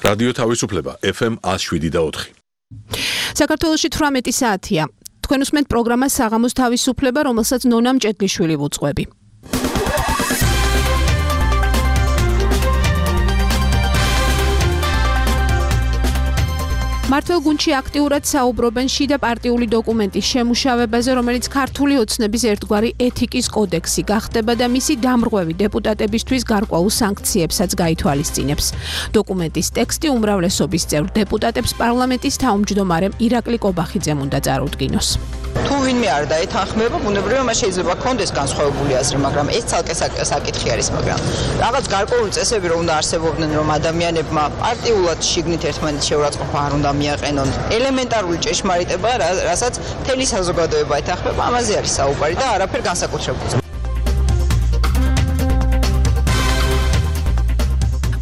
რადიო თავისუფლება FM 107.4. საქართველოში 18 საათია. თქვენ უსმენთ პროგრამას საღამოს თავისუფლება, რომელსაც ნონა მჭედლიშვილი ვუძღვები. მართლ გუნდში აქტიურად საუბრობენ შიდა პარტიული დოკუმენტის შემუშავებაზე, რომელიც ქართული ოცნების ერთგვარი ეთიკის კოდექსი გახდება და მისი დამრღვევი დეპუტატებისთვის გარკვეულ სანქციებსაც გაითვალისწინებს. დოკუმენტის ტექსტი უმრავლესობის წევრ დეპუტატებს პარლამენტის თავმჯდომარემ ირაკლი კობახიძემ უნდა წარუდგინოს. თუ ვინმე არ დაეთანხმება, ბუნებრივია მას შეიძლება ჰქონდეს განსხვავებული აზრი, მაგრამ ეს ცალკე საკითხი არის, მაგრამ რაღაც გარკვეული წესები რომ უნდა არსებობდნენ, რომ ადამიანებმა პარტიულად შიგნით ერთმანეთს შეურაცხყოფა არ უნდა მიაყენონ. ელემენტარული ჭეშმარიტება, რასაც მთელი საზოგადოება ეთანხმება, ამაზე არის საუბარი და არაფერ განსაკუთრებულს.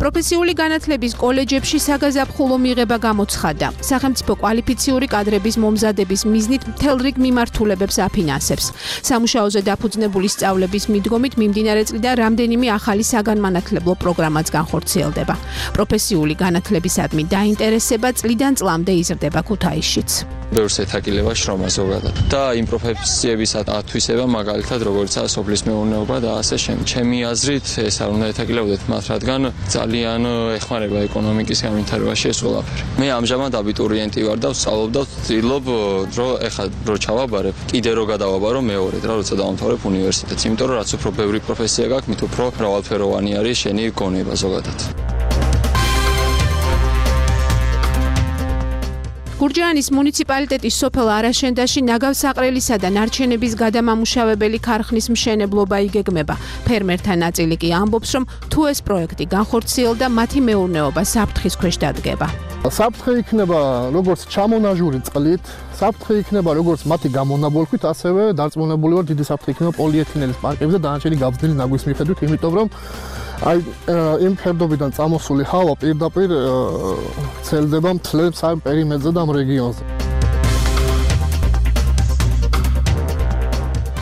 პროფესიული განათლების კოლეჯებში საგაზაფხულო მიღება გამოცხადა. სახელმწიფო კვალიფიციური კადრების მომზადების მიზნით მთელ რიგ მიმართულებებს აფინანსებს. სამუშაოზე დაფუძნებული სწავლების მიდგომით მიმდინარე წლიდან რამდენიმე ახალი საგანმანათლებლო პროგრამაც განხორციელდება. პროფესიული განათლებისადმი დაინტერესება წლიდან წლამდე იზრდება ქუთაისშიც. ბევრს ეთაგილება შრომა ზოგადად და იმ პროფესიების ათვისება, მაგალითად როგორიცაა სოფლის მეურნეობა და ასე შემდეგ. ჩემი აზრით ეს არ უნდა ეთაგილებოდეთ მათ, რადგან ძალიან ეხმარება ეკონომიკის განვითარებაში ეს ყველაფერი. მე ამჟამად აბიტურიენტი ვარ და ვსწავლობ და ვცდილობ რომ ეხლა რო ჩავაბარებ, კიდე რო გადავაბარო მეორედ რა, როცა დავამთავრებ უნივერსიტეტს, იმიტომ რომ რაც უფრო ბევრი პროფესია გაქვს, მით უფრო მრავალფეროვანი არის შენი გონება ზოგადად. გურჯაანის მუნიციპალიტეტის სოფელ არაშენდაში ნაგავსაყრელისა და ნარჩენების გადამამუშავებელი ქარხნის მშენებლობა იგეგმება. ფერმერთა ნაწილი კი ამბობს, რომ თუ ეს პროექტი განხორციელდა, მათი მეურნეობა საფრთხის ქვეშ დადგება. საფრთხე იქნება როგორც ჩამონაჟური წყლით, საფრთხე იქნება როგორც მათი გამონაბოლქვით, ასევე დარწმუნებული ვარ დიდი საფრთხე იქნება პოლიეთილენის პარკებზე და დანარჩენი გაბზნილი ნაგვის მიხედვით, იმიტომ რომ იმ ფერდობიდან წამოსული ჰავა პირდაპირ ცელდება მთლებს ამ პერიმეტრზე და ამ რეგიონზე.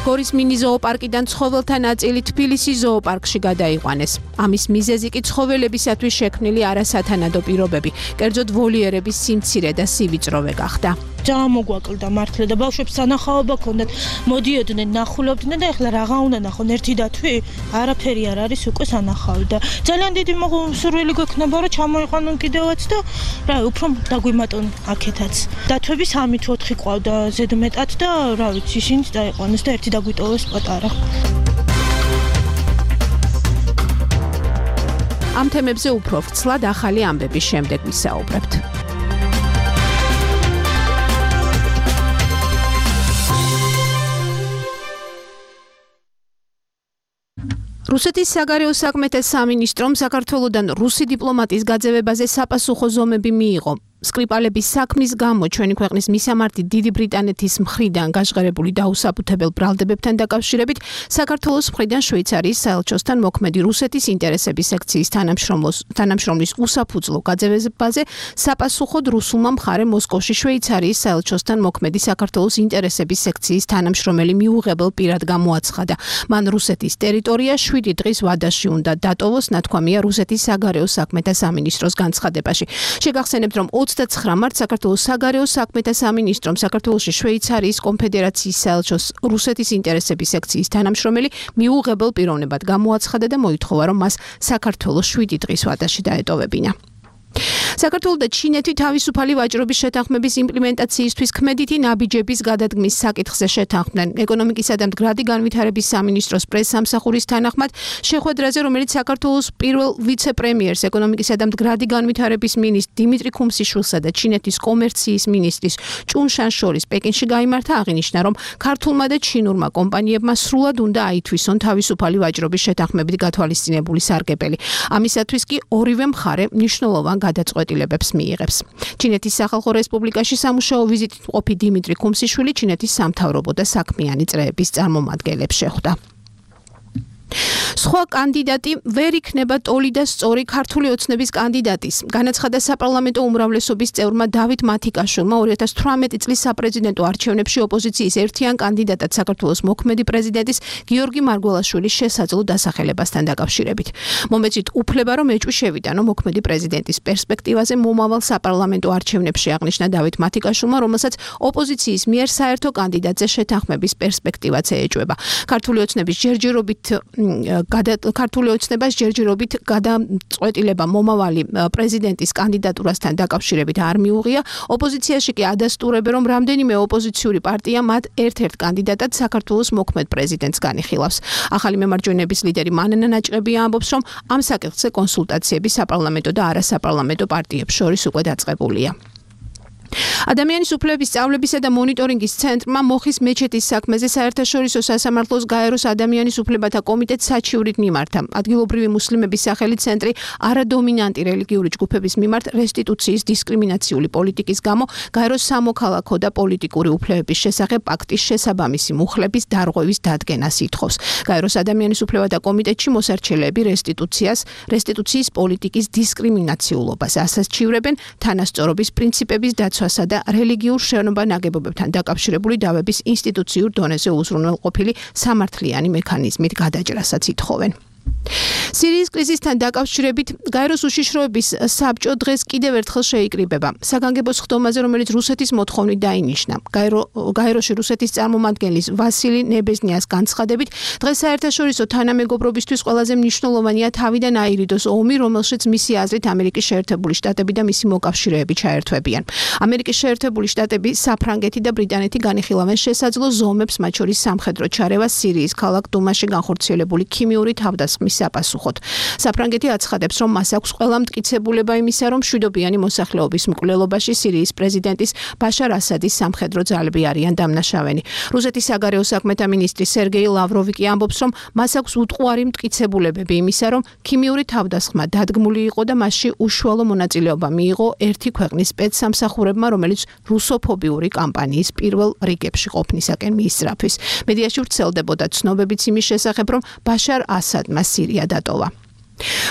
გორის მინი ზოოპარკიდან ცხოველთა ნაწილი თბილისის ზოოპარკში გადაიყვანეს. ამის მიზეზი კი ცხოველებისათვის შექმნილი არასათანადო პირობები, კერძოდ ვოლიერების სიმცირე და სივიწროვე გახდა. მოგვაკლდა მართლა და ბავშვებს სანახაობა ჰქონდათ, მოდიოდნენ, ნახულობდნენ და ეხლა რაღა უნდა ნახონ, ერთი დათვი? არაფერი არ არის, უკვე სანახავი და ძალიან დიდი სურვილი გვექნება, რომ ჩამოიყვანონ კიდევაც და რა, უფრო დაგვიმატონ აქეთაც. დათვები 3 თუ 4 ყავდა ზედმეტად და რა ვიცი, ისინიც დაიყვანეს და ერთი დაგვიტოვეს პატარა. ამ თემებზე უფრო ვრცლად ახალი ამბების შემდეგ ვისაუბრებთ. რუსეთის საგარეო საქმეთა სამინისტრომ საქართველოდან რუსი დიპლომატის გაძევებაზე საპასუხო ზომები მიიღო. სკრიპალების საქმის გამო ჩვენი ქვეყნის მისამართი დიდი ბრიტანეთის მხრიდან გაჟღერებული დაუსაფუთებელ ბრალდებებთან დაკავშირებით საქართველოს მხრიდან შვეიცარიის საელჩოსთან მოქმედი რუსეთის ინტერესების სექციის თანამშრომლის უსაფუძვლო გაძევებაზე საპასუხოდ რუსულმა მხარემ მოსკოვში შვეიცარიის საელჩოსთან მოქმედი საქართველოს ინტერესების სექციის თანამშრომელი მიუღებელ პირად გამოაცხადა. მან რუსეთის ტერიტორია 7 დღის ვადაში უნდა დატოვოს, ნათქვამია რუსეთის საგარეო საქმეთა სამინისტროს განცხადებაში. შეგახსენებთ, რომ 29 მარტს საქართველოს საგარეო საქმეთა სამინისტრომ საქართველოში შვეიცარიის კონფედერაციის საელჩოს რუსეთის ინტერესების სექციის თანამშრომელი მიუღებელ პიროვნებად გამოაცხადა და მოითხოვა, რომ მას საქართველოს 7 დღის ვადაში დაეტოვებინა. საქართველო და ჩინეთი თავისუფალი ვაჭრობის შეთანხმების იმპლემენტაციისთვის ქმედითი ნაბიჯების გადადგმის საკითხზე შეთანხმდნენ. ეკონომიკისა და მდგრადი განვითარების სამინისტროს პრესსამსახურის თანახმად შეხვედრაზე, რომელიც საქართველოს პირველ ვიცე-პრემიერს, ეკონომიკისა და მდგრადი განვითარების მინისტრ დიმიტრი ქუმსიშვილსა და ჩინეთის კომერციის მინისტრის ჭუნ შან შორის პეკინში გაიმართა, აღინიშნა, რომ ქართულმა და ჩინურმა კომპანიებმა სრულად უნდა აითვისონ თავისუფალი ვაჭრობის შეთანხმებით გათვალისწინებული სარგებელი. ამისათვის კი ორივე მხარე მნიშვნელოვან გადაწყვეტილებებს მიიღებს. ჩინეთის სახალხო რესპუბლიკაში სამუშაო ვიზიტით მყოფი დიმიტრი ქუმსიშვილი ჩინეთის სამთავრობო და საქმიანი წრეების წარმომადგენლებს შეხვდა. სხვა კანდიდატი ვერ იქნება ტოლი და სწორი ქართული ოცნების კანდიდატის. განაცხადა საპარლამენტო უმრავლესობის წევრმა დავით მათიკაშვილმა 2018 წლის საპრეზიდენტო არჩევნებში ოპოზიციის ერთიან კანდიდატად საქართველოს მოქმედი პრეზიდენტის გიორგი მარგველაშვილის შესაძლო დასახელებასთან დაკავშირებით. მომეწით უფლება, რომ ეჭვი შევიტანო მოქმედი პრეზიდენტის პერსპექტივაზე მომავალ საპარლამენტო არჩევნებში, აღნიშნა დავით მათიკაშვილმა, რომელსაც ოპოზიციის მიერ საერთო კანდიდატზე შეთანხმების პერსპექტივაც ეეჭვება. ქართული ოცნებას ჯერჯერობით გადაწყვეტილება მომავალი პრეზიდენტის კანდიდატურასთან დაკავშირებით არ მიუღია. ოპოზიციაში კი ადასტურებენ, რომ რამდენიმე ოპოზიციური პარტია მათ ერთ-ერთ კანდიდატად საქართველოს მოქმედ პრეზიდენტს განიხილავს. ახალი მემარჯვენეების ლიდერი მანანა ნაჭყებია ამბობს, რომ ამ საკითხზე კონსულტაციები საპარლამენტო და არასაპარლამენტო პარტიებს შორის უკვე დაწყებულია. ადამიანის უფლებების სწავლებისა და მონიტორინგის ცენტრმა მოხის მეჩეთის საქმეზე საერთაშორისო სასამართლოს გაეროს ადამიანის უფლებათა კომიტეტს საჩივრით მიმართა. ადგილობრივი მუსლიმების სახელით ცენტრი არადომინანტი რელიგიური ჯგუფების მიმართ რესტიტუციის დისკრიმინაციული პოლიტიკის გამო გაეროს სამოქალაქო და პოლიტიკური უფლებების შესახებ პაქტის შესაბამისი მუხლების დარღვევის დადგენას ითხოვს. გაეროს ადამიანის უფლებათა კომიტეტში მოსარჩელეები რესტიტუციის პოლიტიკის დისკრიმინაციულობას ასაჩივრებენ თანასწორობის პრინციპების დაცვასა და რელიგიურ შენობა-ნაგებობებთან დაკავშირებული დავების ინსტიტუციურ დონეზე უზრუნველყოფილი სამართლიანი მექანიზმით გადაჭრასაც ითხოვენ. სირიის კრიზისთან დაკავშირებით გაეროს უშიშროების საბჭო დღეს კიდევ ერთხელ შეიკრიბება. საგანგებო სხდომაზე, რომელიც რუსეთის მოთხოვნით დაინიშნა. გაეროში რუსეთის წარმომადგენლის ვასილი ნებეზნიას განცხადებით, დღეს საერთაშორისო თანამეგობრობისთვის ყველაზე მნიშვნელოვანია თავიდან აირიდოს ომი, რომელშიც მისი აზრით ამერიკის შეერთებული შტატები და მისი მოკავშირეები ჩაერთვებიან. ამერიკის შეერთებული შტატები, საფრანგეთი და ბრიტანეთი განიხილავენ შესაძლო ზომებს, მათ შორის სამხედრო ჩარევას სირიის ქალაქ დუმაში განხორციელებული ქიმიური თავდასხმის საპასუხოდ. საფრანგეთი აცხადებს, რომ მას აქვს ყველა მტკიცებულება იმისა, რომ მშვიდობიანი მოსახლეობის მკვლელობაში სირიის პრეზიდენტის ბაშარ ასადის სამხედრო ძალები არიან დამნაშავენი. რუსეთის საგარეო საქმეთა მინისტრი სერგეი ლავროვი კი ამბობს, რომ მას აქვს უტყუარი მტკიცებულებები იმისა, რომ ქიმიური თავდასხმა დადგმული იყო და მასში უშუალო მონაწილეობა მიიღო ერთი ქვეყნის სპეცსამსახურებმა, რომელიც რუსოფობიური კამპანიის პირველ რიგებში ყოფნისაკენ მიისწრაფვის. მედიაში ვრცელდებოდა ცნობებიც იმის შესახებ, რომ ბაშარ ასადმა სირია დატოვა.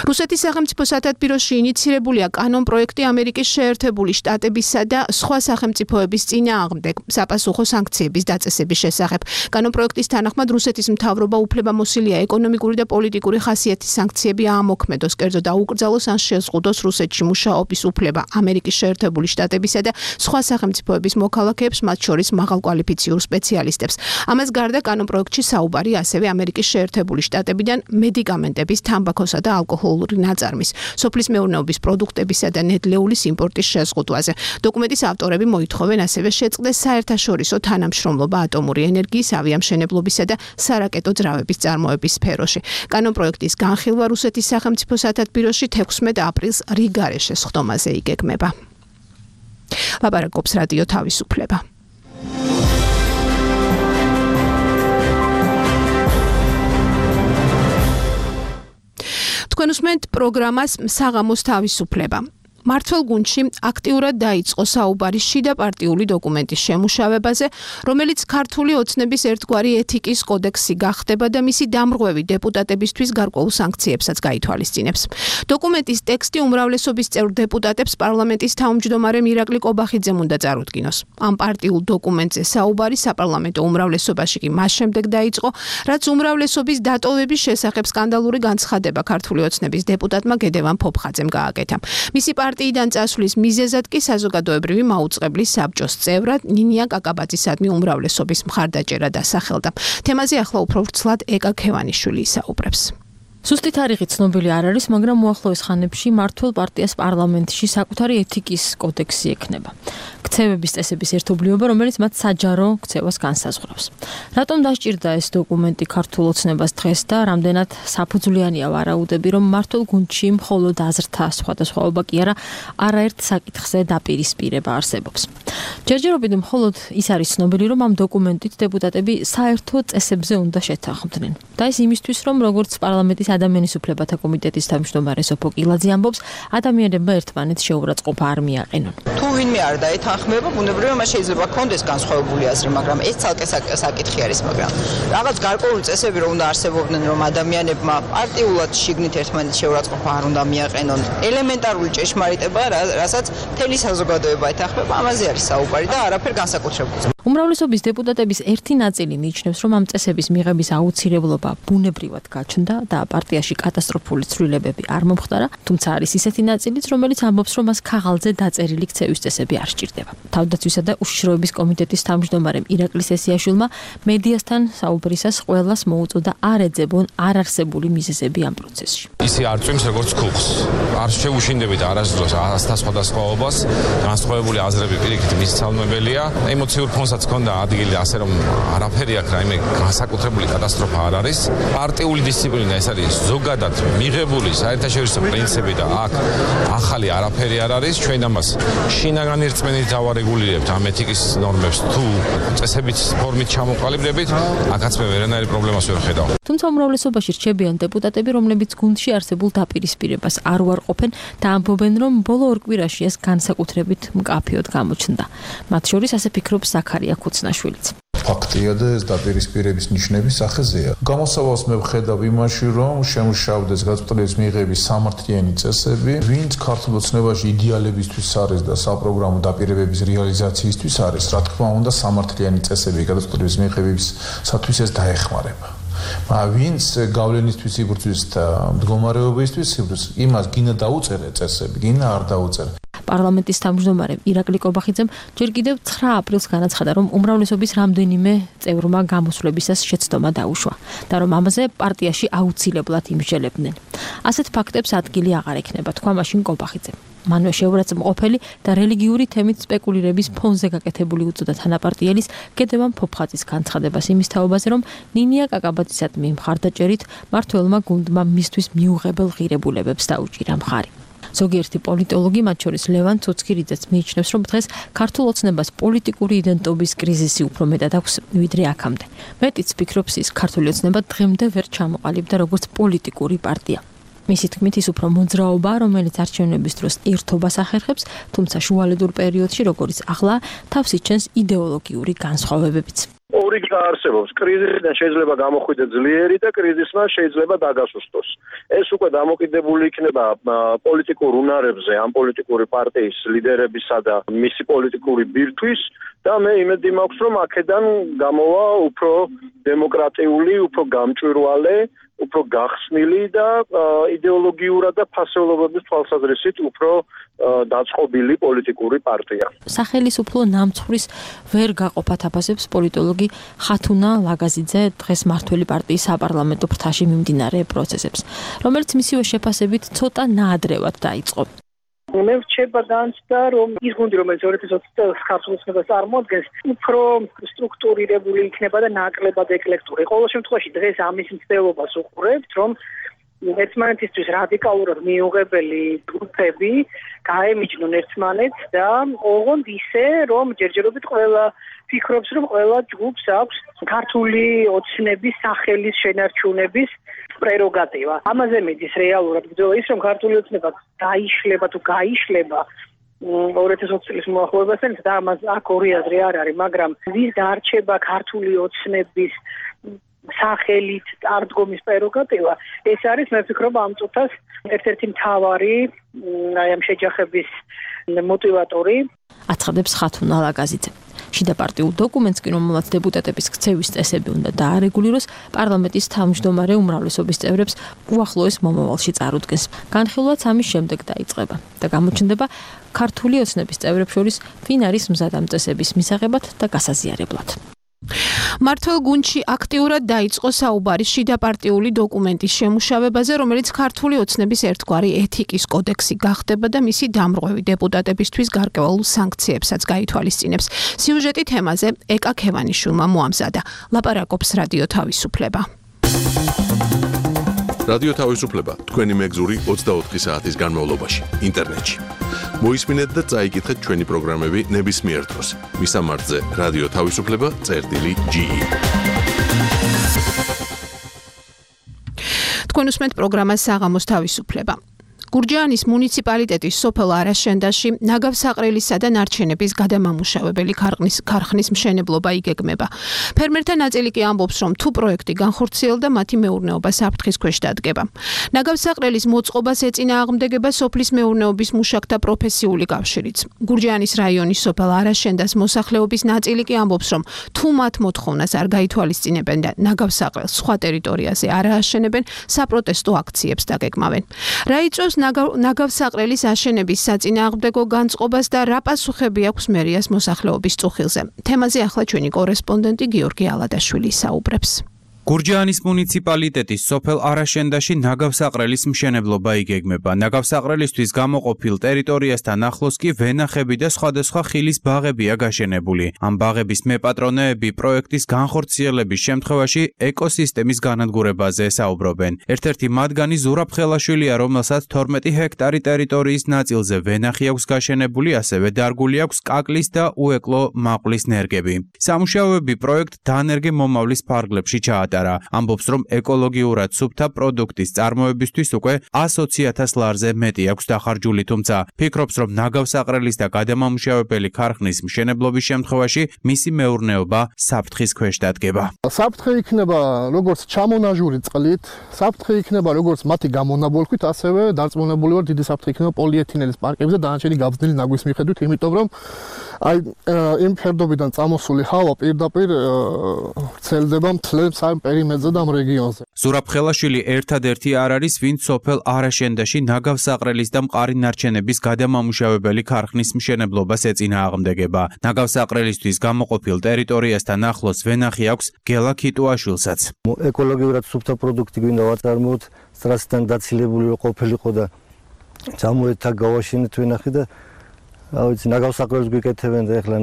რუსეთის სახელმწიფო სათათბიროში ინიცირებულია კანონ პროექტი ამერიკის შეერთებული შტატებისა და სხვა სახელმწიფოების წინააღმდეგ საპასუხო სანქციების დაწესების შესახებ. კანონ პროექტის თანახმად რუსეთის მთავრობა უფლებამოსილია ეკონომიკური და პოლიტიკური ხასიათის სანქციები აამოქმედოს, კერძო დაუკრძალოს ან შეზღუდოს რუსეთში მუშაობის უფლება ამერიკის შეერთებული შტატებისა და სხვა სახელმწიფოების მოქალაქეებს, მათ შორის მაღალკვალიფიციურ სპეციალისტებს. ამას გარდა კანონ პროექტში საუბარი ასევე ამერიკის შეერთებული შტატებიდან მედიკამენტების, თამბაქოსა და ალკოჰოლური ნაწარმის, სოფლის მეურნეობის პროდუქტებისა და ნედლეულის იმპორტის შეზღუდვაზე. დოკუმენტის ავტორები მოითხოვენ ასევე შეწყდეს საერთაშორისო თანამშრომლობა ატომური ენერგიის, ავიამშენებლობისა და სარაკეტო ძრავების წარმოების სფეროში. კანონ პროექტის განხილვა რუსეთის სახელმწიფო სათათბიროში 16 აპრილს რიგარეშე სხდომაზე იგეგმება. ლაპარაკობს რადიო თავისუფლება. თქვენ უსმენთ პროგრამას საღამოს თავისუფლება. მართლ გუნდში აქტიურად დაიწყო საუბარი შიდა პარტიული დოკუმენტის შემუშავებაზე, რომელიც ქართული ოცნების ერთგვარი ეთიკის კოდექსი გახდება და მისი დამრღვევი დეპუტატებისთვის გარკვეულ სანქციებსაც გაითვალისწინებს. დოკუმენტის ტექსტი უმრავლესობის წევრ დეპუტატებს პარლამენტის თავმჯდომარე მირაკლი კობახიძემ უნდა წარუდგინოს. ამ პარტიულ დოკუმენტზე საუბარი საპარლამენტო უმრავლესობაში კი მას შემდეგ დაიწყო, რაც უმრავლესობის დატოვების შესახებ სკანდალური განცხადება ქართული ოცნების დეპუტატმა გედევან ფოფხაძემ გააკეთა. მისი პარტიიდან წასვლის მიზეზად კი საზოგადოებრივი მაუწყებლის საბჭოს წევრად ნინია კაკაბაძისადმი უმრავლესობის მხარდაჭერა დასახელდა. თემაზე ახლა უფრო ვრცლად ეკა ქევანიშვილი ისაუბრებს. ზუსტი თარიღი ცნობილი არ არის, მაგრამ მოახლოეს ხანებში მართლ პარტიას პარლამენტში საკუთარი ეთიკის კოდექსი ექნება. ქცევების წესების ერთობლიობა, რომელიც მათ საჯარო ქცევას განსაზღვრავს. რატომ დასჭირდა ეს დოკუმენტი ქართულ ოცნებას დღეს და რამდენად საფუძვლიანია ვარაუდები, რომ მართლ გუნდში მხოლოდ აზრთა სხვადასხვაობა კი არა, არაერთ საკითხზე დაპირისპირება არსებობს. ჯერჯერობით მხოლოდ ის არის ცნობილი, რომ ამ დოკუმენტით დეპუტატები საერთო წესებზე უნდა შეთანხმდნენ. და ეს იმისთვის, რომ როგორც პარლამენტის ადამიანის უფლებათა კომიტეტის თავმჯდომარე სოფო კილაძე ამბობს, ადამიანებმა ერთმანეთს შეურაცხყოფა არ მიაყენონ. თუ ვინმე არ დაეთანხმება, ბუნებრივია მას შეიძლება ქონდეს განსხვავებული აზრი, მაგრამ ეს ცალკე საკითხი არის, მაგრამ რაღაც გარკვეული წესები რომ უნდა არსებობდნენ, რომ ადამიანებმა პარტიულად შიგნით ერთმანეთს შეურაცხყოფა არ უნდა მიაყენონ. ელემენტარული ჭეშმარიტება, რასაც მთელი საზოგადოება ეთანხმება, ამაზე არის საუბარი და არაფერ განსაკუთრებულს. უმრავლესობის დეპუტატების ერთი ნაწილი მიიჩნევს, რომ ამ წესების მიღების აუცილებლობა ბუნებრივად გაჩნდა და პარტიაში კატასტროფული ცვლილებები არ მომხდარა, თუმცა არის ისეთი ნაწილიც, რომელიც ამბობს, რომ მას ქაღალდზე დაწერილი ქცევის წესები არ სჭირდება. თავდაცვისა და უშიშროების კომიტეტის თავმჯდომარემ ირაკლი სესიაშვილმა მედიასთან საუბრისას ყველას მოუწოდა არ ეძებონ არარსებული მიზეზები ამ პროცესში. ისი არ წვიმს როგორც ქუხს. არ შეუშინდებით არასდროს ასთა სხვადასხვაობას, განსხვავებული აზრები პირიქით მისცალმებელია. ემოციურ ფონსაც ქონდა ადგილი, ასე რომ არაფერი აქ რაიმე განსაკუთრებული კატასტროფა არ არის. პარტიული დისციპლინა ეს არის ზოგადად მიღებული საერთაშორისო პრინციპი და აქ ახალი არაფერი არ არის. ჩვენ ამას შინაგანი რწმენით დავარეგულირებთ ამ ეთიკის ნორმებს თუ წესებით ფორმით ჩამოყალიბდებით, აქაც მე ვერანაირი პრობლემას ვერ ხედავ. თუმცა უმრავლესობაში რჩებიან დეპუტატები, რომლებიც გუნდში არსებულ დაპირისპირებას არ უარყოფენ და ამბობენ, რომ ბოლო ორ კვირაში ეს განსაკუთრებით მკაფიოდ გამოჩნდა. მათ შორის ასე ფიქრობს ზაქარია ქუცნაშვილიც. ფაქტია და ეს დაპირისპირების ნიშნების სახეზეა. გამოსავალს მე ვხედავ იმაში, რომ შემუშავდეს გაწყვეტილების მიღების სამართლიანი წესები, ვინც ქართულ ოცნებაში იდეალებისთვის არის და საპროგრამო დაპირებების რეალიზაციისთვის არის, რა თქმა უნდა, სამართლიანი წესები გაწყვეტილების მიღებისათვის ეს დაეხმარება. ვინც გავლენისთვის იბრძვის და მდგომარეობისთვის იბრძვის, იმას გინა დაუწერე წესები, გინა არ დაუწერე. პარლამენტის თავმჯდომარე ირაკლი კობახიძემ ჯერ კიდევ 9 აპრილს განაცხადა, რომ უმრავლესობის რამდენიმე წევრმა გამოსვლებისას შეცდომა დაუშვა და რომ ამაზე პარტიაში აუცილებლად იმსჯელებდნენ. ასეთ ფაქტებს ადგილი აღარ ექნება, თქვა მაშინ კობახიძემ. მანვე შეურაცხმყოფელი და რელიგიური თემით სპეკულირების ფონზე გაკეთებული უწოდა თანაპარტიელის გედევან ფოფხაძის განცხადებას იმის თაობაზე, რომ ნინია კაკაბაძისადმი მხარდაჭერით მართველმა გუნდმა მისთვის მიუღებელ ღირებულებებს დაუჭირა მხარი. ზოგიერთი პოლიტოლოგი, მათ შორის ლევან ცუცქირიძეც მიიჩნევს, რომ დღეს ქართულ ოცნებას პოლიტიკური იდენტობის კრიზისი უფრო მეტად აქვს, ვიდრე აქამდე. მეტიც ფიქრობს ის, ქართული ოცნება დღემდე ვერ ჩამოყალიბდა როგორც პოლიტიკური პარტია. მისი თქმით, ის უფრო მოძრაობა, რომელიც არჩევნების დროს ერთობას ახერხებს, თუმცა შუალედურ პერიოდში, როგორც ახლა, თავს იჩენს იდეოლოგიური განსხვავებებიც. ორი არსებობს. კრიზისიდან შეიძლება გამოხვიდე ძლიერი და კრიზისმა შეიძლება დაგასუსტოს. ეს უკვე დამოკიდებული იქნება პოლიტიკურ უნარებზე, ამ პოლიტიკური პარტიის ლიდერებისა და მისი პოლიტიკური ბირთვის და მე იმედი მაქვს, რომ აქედან გამოვა უფრო დემოკრატიული, უფრო გამჭვირვალე, უფრო გახსნილი და იდეოლოგიურად და ფასეულობების თვალსაზრისით უფრო დაწყობილი პოლიტიკური პარტია. სახელისუფლო ნამცხვრის ვერ გაყოფათ აფასებს პოლიტოლოგი ხათუნა ლაგაზიძე დღეს მართველი პარტიის საპარლამენტო ფრთაში მიმდინარე პროცესებს, რომელიც მისივე შეფასებით ცოტა ნაადრევად დაიწყო. მე ვრჩება განცდა, რომ ის გუნდი, რომელიც 2020 წელს ქართულ ოცნებას წარმოადგენს, უფრო სტრუქტურირებული იქნება და ნაკლებად ეკლექტური. ყოველ შემთხვევაში დღეს ამის მცდელობას უყურებთ, რომ ერთმანეთისთვის რადიკალურად მიუღებელი ჯგუფები გაემიჯნონ ერთმანეთს და ოღონდ ისე, რომ ჯერჯერობით ყველა ფიქრობს, რომ ყველა ჯგუფს აქვს ქართული ოცნების სახელის შენარჩუნების პრეროგატივა. ამაზე მედის რეალურად ბრძოლა ის, რომ ქართული ოცნება დაიშლება თუ გაიშლება 2020 წლის მოახლოებასთან და ამას აქ ორი აზრი არ არის, მაგრამ ვის დარჩება ქართული ოცნების სახელით წარდგომის პრეროგატივა, ეს არის მე ვფიქრობ ამ წუთას ერთ-ერთი მთავარი ამ შეჯახების მოტივატორი. აცხადებს ხათუნა ლაგაზიძე. შიდა პარტიულ დოკუმენტს კი, რომელმაც დეპუტატების ქცევის წესები უნდა დაარეგულიროს, პარლამენტის თავმჯდომარე უმრავლესობის წევრებს უახლოეს მომავალში წარუდგენს. განხილვაც ამის შემდეგ დაიწყება და გამოჩნდება ქართული ოცნების წევრებს შორის ვინ არის მზად ამ წესების მისაღებად და გასაზიარებლად. მართლ გუნდში აქტიურად დაიწყო საუბარი შიდაპარტიული დოკუმენტის შემუშავებაზე, რომელიც ქართული ოცნების ერთგვარი ეთიკის კოდექსი გახდება და მისი დამრღვევი დეპუტატებისთვის გარკვეულ სანქციებსაც გაითვალისწინებს. სიუჟეტი თემაზე ეკა ქევანიშვილმა მოამზადა. ლაპარაკობს რადიო თავისუფლება. რადიო თავისუფლება თქვენი მეგზური 24 საათის განმავლობაში ინტერნეტში. მოისმინეთ და წაიკითხეთ ჩვენი პროგრამები ნებისმიერ დროს. მისამართზე რადიო თავისუფლება.ge თქვენ უსმენთ პროგრამას საღამოს თავისუფლება. გურჯაანის მუნიციპალიტეტის სოფელ არაშენდაში ნაგავსაყრელისა და ნარჩენების გადამამუშავებელი ქარხნის მშენებლობა იგეგმება. ფერმერთა ნაწილი კი ამბობს, რომ თუ პროექტი განხორციელდა, მათი მეურნეობა საფრთხის ქვეშ დადგება. ნაგავსაყრელის მოწყობას ეწინააღმდეგება სოფლის მეურნეობის მუშაკთა პროფესიული კავშირიც. გურჯაანის რაიონის სოფელ არაშენდას მოსახლეობის ნაწილი კი ამბობს, რომ თუ მათ მოთხოვნას არ გაითვალისწინებენ და ნაგავსაყრელს სხვა ტერიტორიაზე არ ააშენებენ, საპროტესტო აქციებს დაგეგმავენ. რა იწვევს ნაგავსაყრელის აშენების საწინააღმდეგო განწყობას და რა პასუხები აქვს მერიას მოსახლეობის წუხილზე. თემაზე ახლა ჩვენი კორესპონდენტი გიორგი ალადაშვილი საუბრებს. გურჯაანის მუნიციპალიტეტის სოფელ არაშენდაში ნაგავსაყრელის მშენებლობა იგეგმება. ნაგავსაყრელისთვის გამოყოფილ ტერიტორიასთან ახლოს კი ვენახები და სხვადასხვა ხილის ბაღებია გაშენებული. ამ ბაღების მეპატრონეები პროექტის განხორციელების შემთხვევაში ეკოსისტემის განადგურებაზე საუბრობენ. ერთ-ერთი მათგანი ზურაბ ხელაშვილია, რომელსაც 12 ჰექტარი ტერიტორიის ნაწილზე ვენახი აქვს გაშენებული, ასევე დარგული აქვს კაკლის და უეკლო მაყვლის ნერგები. სამუშაოები პროექტ დანერგე მომავლის ფარგლებში ჩაატარა. ამბობს, რომ ეკოლოგიურად სუფთა პროდუქტის წარმოებისთვის უკვე 120,000 ლარზე მეტი აქვს დახარჯული, თუმცა ფიქრობს, რომ ნაგავსაყრელის და გადამამუშავებელი ქარხნის მშენებლობის შემთხვევაში მისი მეურნეობა საფრთხის ქვეშ დადგება. საფრთხე იქნება როგორც ჩამონაჟური წყლით, საფრთხე იქნება როგორც მათი გამონაბოლქვით, ასევე დარწმუნებული ვარ, დიდი საფრთხე იქნება პოლიეთილენის პარკებზე დანარჩენი გაბზნილი ნაგვის მიხედვით, იმიტომ რომ იმ ფერდობიდან წამოსული ჰავა პირდაპირ ვრცელდება მთლებს ამ პერიმეტრზე და ამ რეგიონზე. ზურაბ ხელაშვილი ერთადერთი არ არის, ვინც სოფელ არაშენდაში ნაგავსაყრელის და მყარი ნარჩენების გადამამუშავებელი ქარხნის მშენებლობას ეწინააღმდეგება. ნაგავსაყრელისთვის გამოყოფილ ტერიტორიასთან ახლოს ვენახი აქვს გელა ქიტუაშვილსაც. ეკოლოგიურად სუფთა პროდუქტი გვინდა ვაწარმოოთ, სტრასიდან დაცილებული ყოფილიყო და ჩამოეთა გავაშენეთ ვენახი და ავიცი ნაგავსაყრელს გვიკეთებენ და ეხლა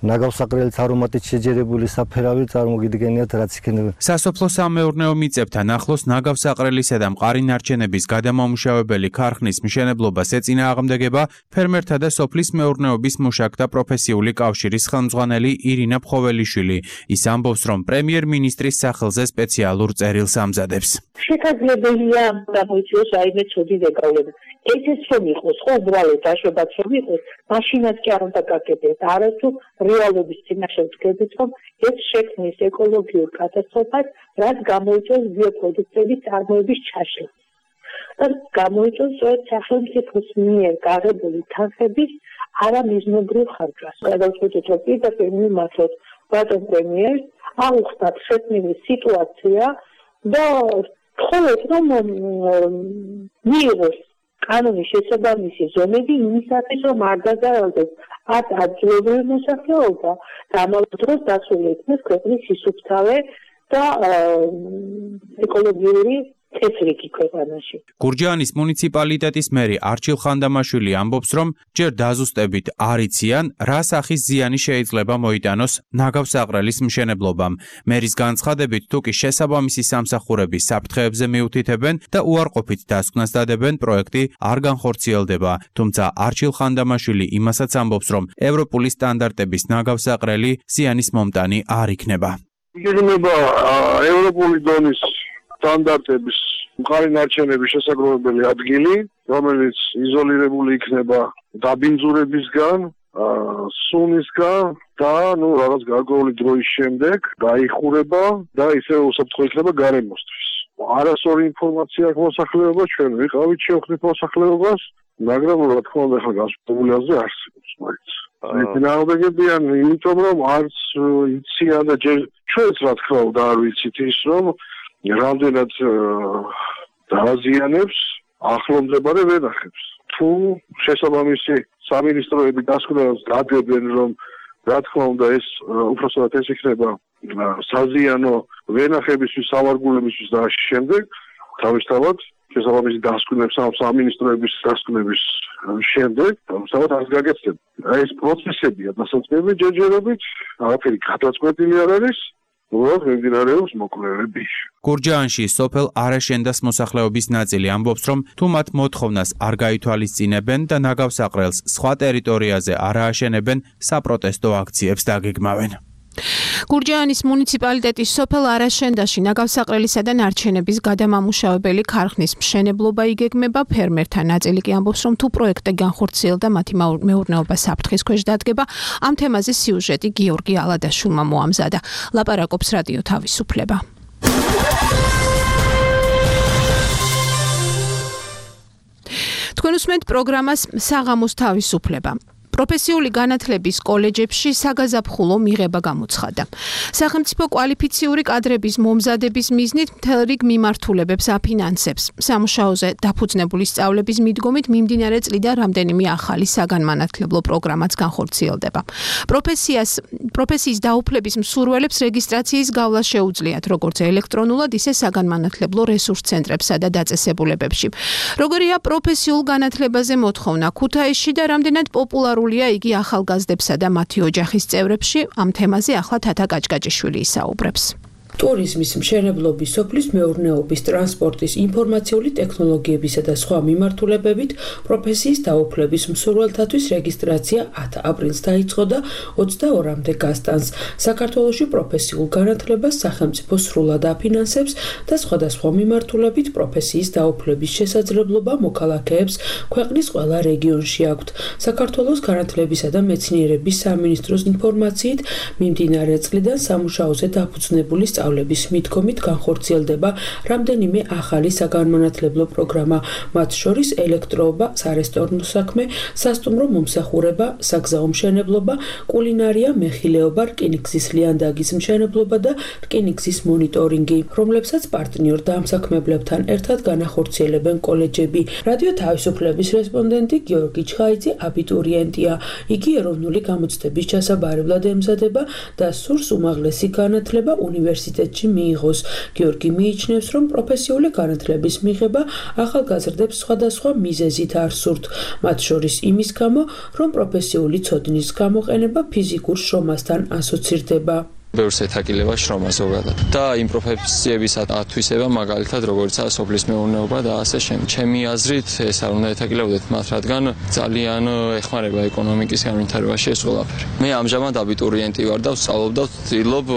ნაგავსაყრელის არომატით შეჯერებული საფერავი წარმოგიდგენიათ რაც იქნება. სასოფლო სამეურნეო მიწებთან ახლოს ნაგავსაყრელისა და მყარი ნარჩენების გადამამუშავებელი ქარხნის მშენებლობას ეწინააღმდეგება ფერმერთა და სოფლის მეურნეობის მუშაკთა პროფესიული კავშირის ხელმძღვანელი ირინა ფხოველიშვილი. ის ამბობს, რომ პრემიერ-მინისტრის სახელზე სპეციალურ წერილს ამზადებს. შესაძლებელია გამოიწვიოს რაიმე ცუდი დაკავება. ესეც რომ იყოს, ხო, უბრალოდ დაშვებაც რომ იყოს, მაშინაც კი არ უნდა გაკეთდეს, არათუ რეალობის წინაშე ვდგებით, რომ ეს შექმნის ეკოლოგიურ კატასტროფას, რაც გამოიწვევს ბიოპროდუქტების წარმოების ჩაშლას. და გამოიწვევს სწორედ სახელმწიფოს მიერ გაღებული თანხების არამიზნობრივ ხარჯვას. გადავწყვიტეთ, რომ პირდაპირ მიმართოთ ბატონ პრემიერს, აუხსნათ შექმნილი სიტუაცია და ვთხოვეთ, რომ მიიღოს კანონის შესაბამისი ზომები იმისათვის, რომ არ დაზარალდეს ადგილობრივი მოსახლეობა და ამავე დროს დასული იქნეს ქვეყნის სისუფთავე და ეკოლოგიური წესრიგი ქვეყანაში. გურჯაანის მუნიციპალიტეტის მერი არჩილ ხანდამაშვილი ამბობს, რომ ჯერ დაზუსტებით არ იციან, რა სახის ზიანი შეიძლება მოიტანოს ნაგავსაყრელის მშენებლობამ. მერის განცხადებით, თუ კი შესაბამისი სამსახურების საფრთხეებზე მიუთითებენ და უარყოფით დასკვნას დადებენ, პროექტი არ განხორციელდება. თუმცა არჩილ ხანდამაშვილი იმასაც ამბობს, რომ ევროპული სტანდარტების ნაგავსაყრელი ზიანის მომტანი არ იქნება. იგეგმება ევროპული დონის სტანდარტების მყარი ნარჩენების შესაძლებელი ადგილი, რომელიც იზოლირებული იქნება დაბინძურებისგან, სუნისგან და რაღაც გარკვეული დროის შემდეგ დაიხურება და ისე უსაფრთხო იქნება გარემოსთვის. არასორი ინფორმაცია აქვს მოსახლეობას, ჩვენ ვიყავით შევხვდით მოსახლეობას, მაგრამ რა თქმა უნდა ახლა გასწავლული აზრი არსებობს მაინც. ეწინააღმდეგებიან იმიტომ რომ არც იციან და ჩვენც რა თქმა უნდა არ ვიცით ის რომ რამდენად დააზიანებს ახლომდებარე ვენახებს. თუ შესაბამისი სამინისტროები დასკვნას დადებენ, რომ რა თქმა უნდა ეს უпроსტად ეს იქნება საზიანო ვენახებისთვის, სავარგულებისთვის და ამ შემდეგ თავისთავად შესაბამისი დასკვნებს ამ სამინისტროების დასკვნების შემდეგ თავისთავად არ გაგეცდება. ეს პროცესებია დასაწყები ჯერჯერობით, არაფერი გადაწყვეტილი არ არის. მიმდინარეობს მოკვლევები. გურჯაანში სოფელ არაშენდას მოსახლეობის ნაწილი ამბობს, რომ თუ მათ მოთხოვნას არ გაითვალისწინებენ და ნაგავსაყრელს სხვა ტერიტორიაზე არ ააშენებენ, საპროტესტო აქციებს დაგეგმავენ. გურჯაანის მუნიციპალიტეტის სოფელ არაშენდაში ნაგავსაყრელისა და ნარჩენების გადამამუშავებელი ქარხნის მშენებლობა იგეგმება. ფერმერთა ნაწილი კი ამბობს, რომ თუ პროექტი განხორციელდა, მათი მეურნეობა საფრთხის ქვეშ დადგება. ამ თემაზე სიუჟეტი გიორგი ალადაშვილმა მოამზადა. ლაპარაკობს რადიო თავისუფლება. თქვენ უსმენთ პროგრამას საღამოს თავისუფლება. პროფესიული განათლების კოლეჯებში საგაზაფხულო მიღება გამოცხადდა. სახელმწიფო კვალიფიციური კადრების მომზადების მიზნით მთელ რიგ მიმართულებებს აფინანსებს. სამუშაოზე დაფუძნებული სწავლების მიდგომით მიმდინარე წლიდან რამდენიმე ახალი საგანმანათლებლო პროგრამაც განხორციელდება. პროფესიის დაუფლების მსურველებს რეგისტრაციის გავლა შეუძლიათ როგორც ელექტრონულად, ისე საგანმანათლებლო რესურს ცენტრებსა და დაწესებულებებში. როგორია პროფესიულ განათლებაზე მოთხოვნა ქუთაისში და რამდენად პოპულარულია იგი ახალგაზრდებსა და მათი ოჯახის წევრებში? ამ თემაზე ახლა თათა კაჭკაჭიშვილი ისაუბრებს. ტურიზმის, მშენებლობის, სოფლის მეურნეობის, ტრანსპორტის, ინფორმაციული ტექნოლოგიებისა და სხვა მიმართულებებით პროფესიის დაუფლების მსურველთათვის რეგისტრაცია 10 აპრილს დაიწყო და 22-მდე გასტანს. საქართველოში პროფესიულ განათლებას სახელმწიფო სრულად აფინანსებს და სხვადასხვა მიმართულებით პროფესიის დაუფლების შესაძლებლობა მოქალაქეებს ქვეყნის ყველა რეგიონში აქვთ. საქართველოს განათლებისა და მეცნიერების სამინისტროს ინფორმაციით მიმდინარე წლიდან სამუშაოზე დაფუძნებული სწავლების მიდგომით განხორციელდება რამდენიმე ახალი საგანმანათლებლო პროგრამა, მათ შორის ელექტროობა, სარესტორნო საქმე, სასტუმრო მომსახურება, საგზაო მშენებლობა, კულინარია, მეხილეობა, რკინიგზის ლიანდაგის მშენებლობა და რკინიგზის მონიტორინგი, რომლებსაც პარტნიორ დამსაქმებლებთან ერთად განახორციელებენ კოლეჯები. რადიო თავისუფლების რესპონდენტი გიორგი ჩხაიძე აბიტურიენტია. იგი ეროვნული გამოცდების ჩასაბარებლად ემზადება და სურს უმაღლესი განათლება უნივერსიტეტში მიიღოს. გიორგი მიიჩნევს, რომ პროფესიული განათლების მიღება ახალგაზრდებს სხვადასხვა მიზეზით არ სურთ, მათ შორის იმის გამო, რომ პროფესიული ცოდნის გამოყენება ფიზიკურ შრომასთან ასოცირდება. ბევრს ეთაკილება შრომა ზოგადად და იმ პროფესიების ათვისება მაგალითად როგორიცაა სოფლის მეურნეობა და ასე შემდეგ. ჩემი აზრით ეს არ უნდა ეთაკილებოდეთ მათ, რადგან ძალიან ეხმარება ეკონომიკის განვითარებაში ეს ყველაფერი. მე ამჟამად აბიტურიენტი ვარ და ვსწავლობ და ვცდილობ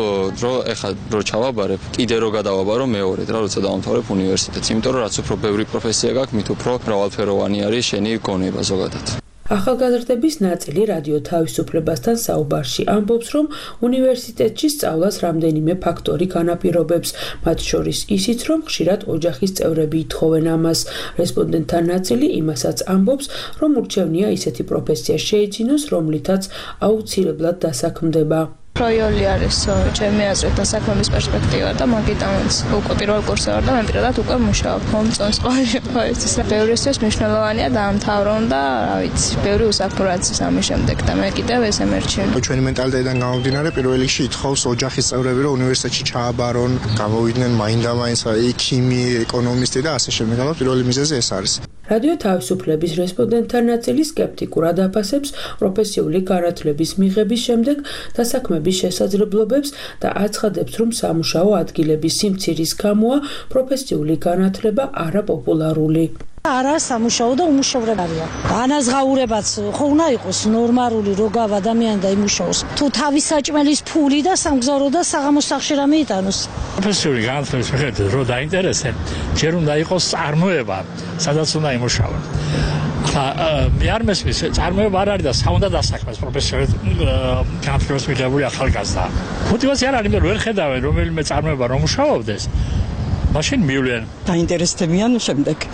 რომ ეხლა რო ჩავაბარებ, კიდე რო გადავაბარო მეორედ რა, როცა დავამთავრებ უნივერსიტეტს, იმიტომ რომ რაც უფრო ბევრი პროფესია გაქვს, მით უფრო მრავალფეროვანი არის შენი გონება ზოგადად. ახალგაზრდების ნაწილი რადიო თავისუფლებასთან საუბარში ამბობს, რომ უნივერსიტეტში სწავლას რამდენიმე ფაქტორი განაპირობებს, მათ შორის ისიც, რომ ხშირად ოჯახის წევრები ითხოვენ ამას. რესპონდენტთა ნაწილი იმასაც ამბობს, რომ ურჩევნია ისეთი პროფესია შეიძინოს, რომლითაც აუცილებლად დასაქმდება. პროიოლი არის ჩემი აზრით დასაქმების პერსპექტივა და მაგიტანაც უკვე პირველ კურსზე ვარ და მე პირადად უკვე მუშაობ მომწონს ყოველთვის. ბევრისთვის მნიშვნელოვანია დაამთავრონ და რა ვიცი, ბევრი უსაფრთხო რაცის ამის შემდეგ და მე კიდევ ეს ემერჩენ. ჩვენი მენტალიტეტიდან გამომდინარე პირველ რიგში ითხოვს ოჯახის წევრები რომ უნივერსიტეტში ჩააბარონ, გამოვიდნენ მაინდა-მაინც ქიმი, ეკონომისტი და ასე შემდეგ. პირველი მიზეზი ეს არის. რადიო თავისუფლების რესპონდენტთა ნაწილი სკეპტიკურად აფასებს პროფესიული განათლების მიღების შემდეგ დასაქმების შესაძლებლობებს და აცხადებს, რომ სამუშაო ადგილების სიმცირის გამოა პროფესიული განათლება არაპოპულარული. არა სამუშაო და უმუშევრად არიან. განაზღაურებაც ხო უნდა იყოს ნორმალური, როგავ ადამიანი და იმუშაოს. თუ თავის საჭმელის ფული და სამგზავრო და საღამოს სახლში რამე იტანოს. პროფესიული განათლების მიხედვით რო დაინტერესენ, ჯერ უნდა იყოს წარმოება, სადაც უნდა იმუშაონ. მე არ მესმის, წარმოება არ არის და საუნდა დასაქმეს პროფესიული განათლების მიღებული ახალგაზრდა. მოტივაცია არ არის, ვერ ხედავენ რომელიმე წარმოება რომ მუშაობდეს. მაშინ მივლენ დაინტერესდებიან შემდეგ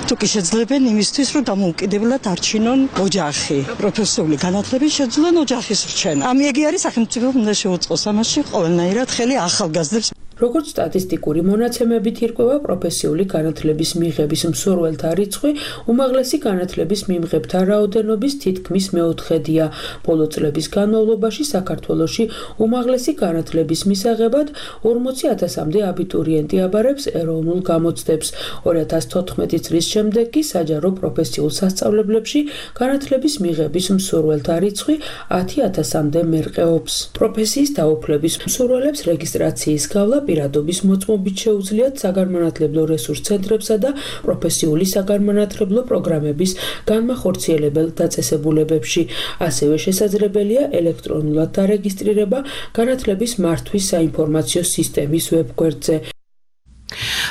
თუ კი შეძლებენ იმისთვის რომ დამოუკიდებლად არჩინონ ოჯახი პროფესიული განათლების შეძლონ ოჯახის რჩენა ამიეგი არის სახელმწიფო უნდა შეუწყოს ამაში ყველანაირად ხელი ახალგაზრდებს როგორც სტატისტიკური მონაცემებით ირკვევა პროფესიული განათლების მიღების მსურველთა რიცხვი უმაღლესი განათლების მიმღებთა რაოდენობის თითქმის მეოთხედია. ბოლო წლების განმავლობაში საქართველოში უმაღლესი განათლების მისაღებად 40,000-მდე აბიტურიენტი აბარებს ეროვნულ გამოცდებს. 2014 წლის შემდეგ კი საჯარო პროფესიულ სასწავლებლებში განათლების მიღების მსურველთა რიცხვი 10,000-მდე მერყეობს. პროფესიის დაუფლების მსურველებს რეგისტრაციის გავლა პირადობის მოწმობით შეუძლიათ საგანმანათლებლო რესურს ცენტრებსა და პროფესიული საგანმანათლებლო პროგრამების განმახორციელებელ დაწესებულებებში. ასევე შესაძლებელია ელექტრონულად დარეგისტრირება განათლების მართვის საინფორმაციო სისტემის ვებგვერდზე.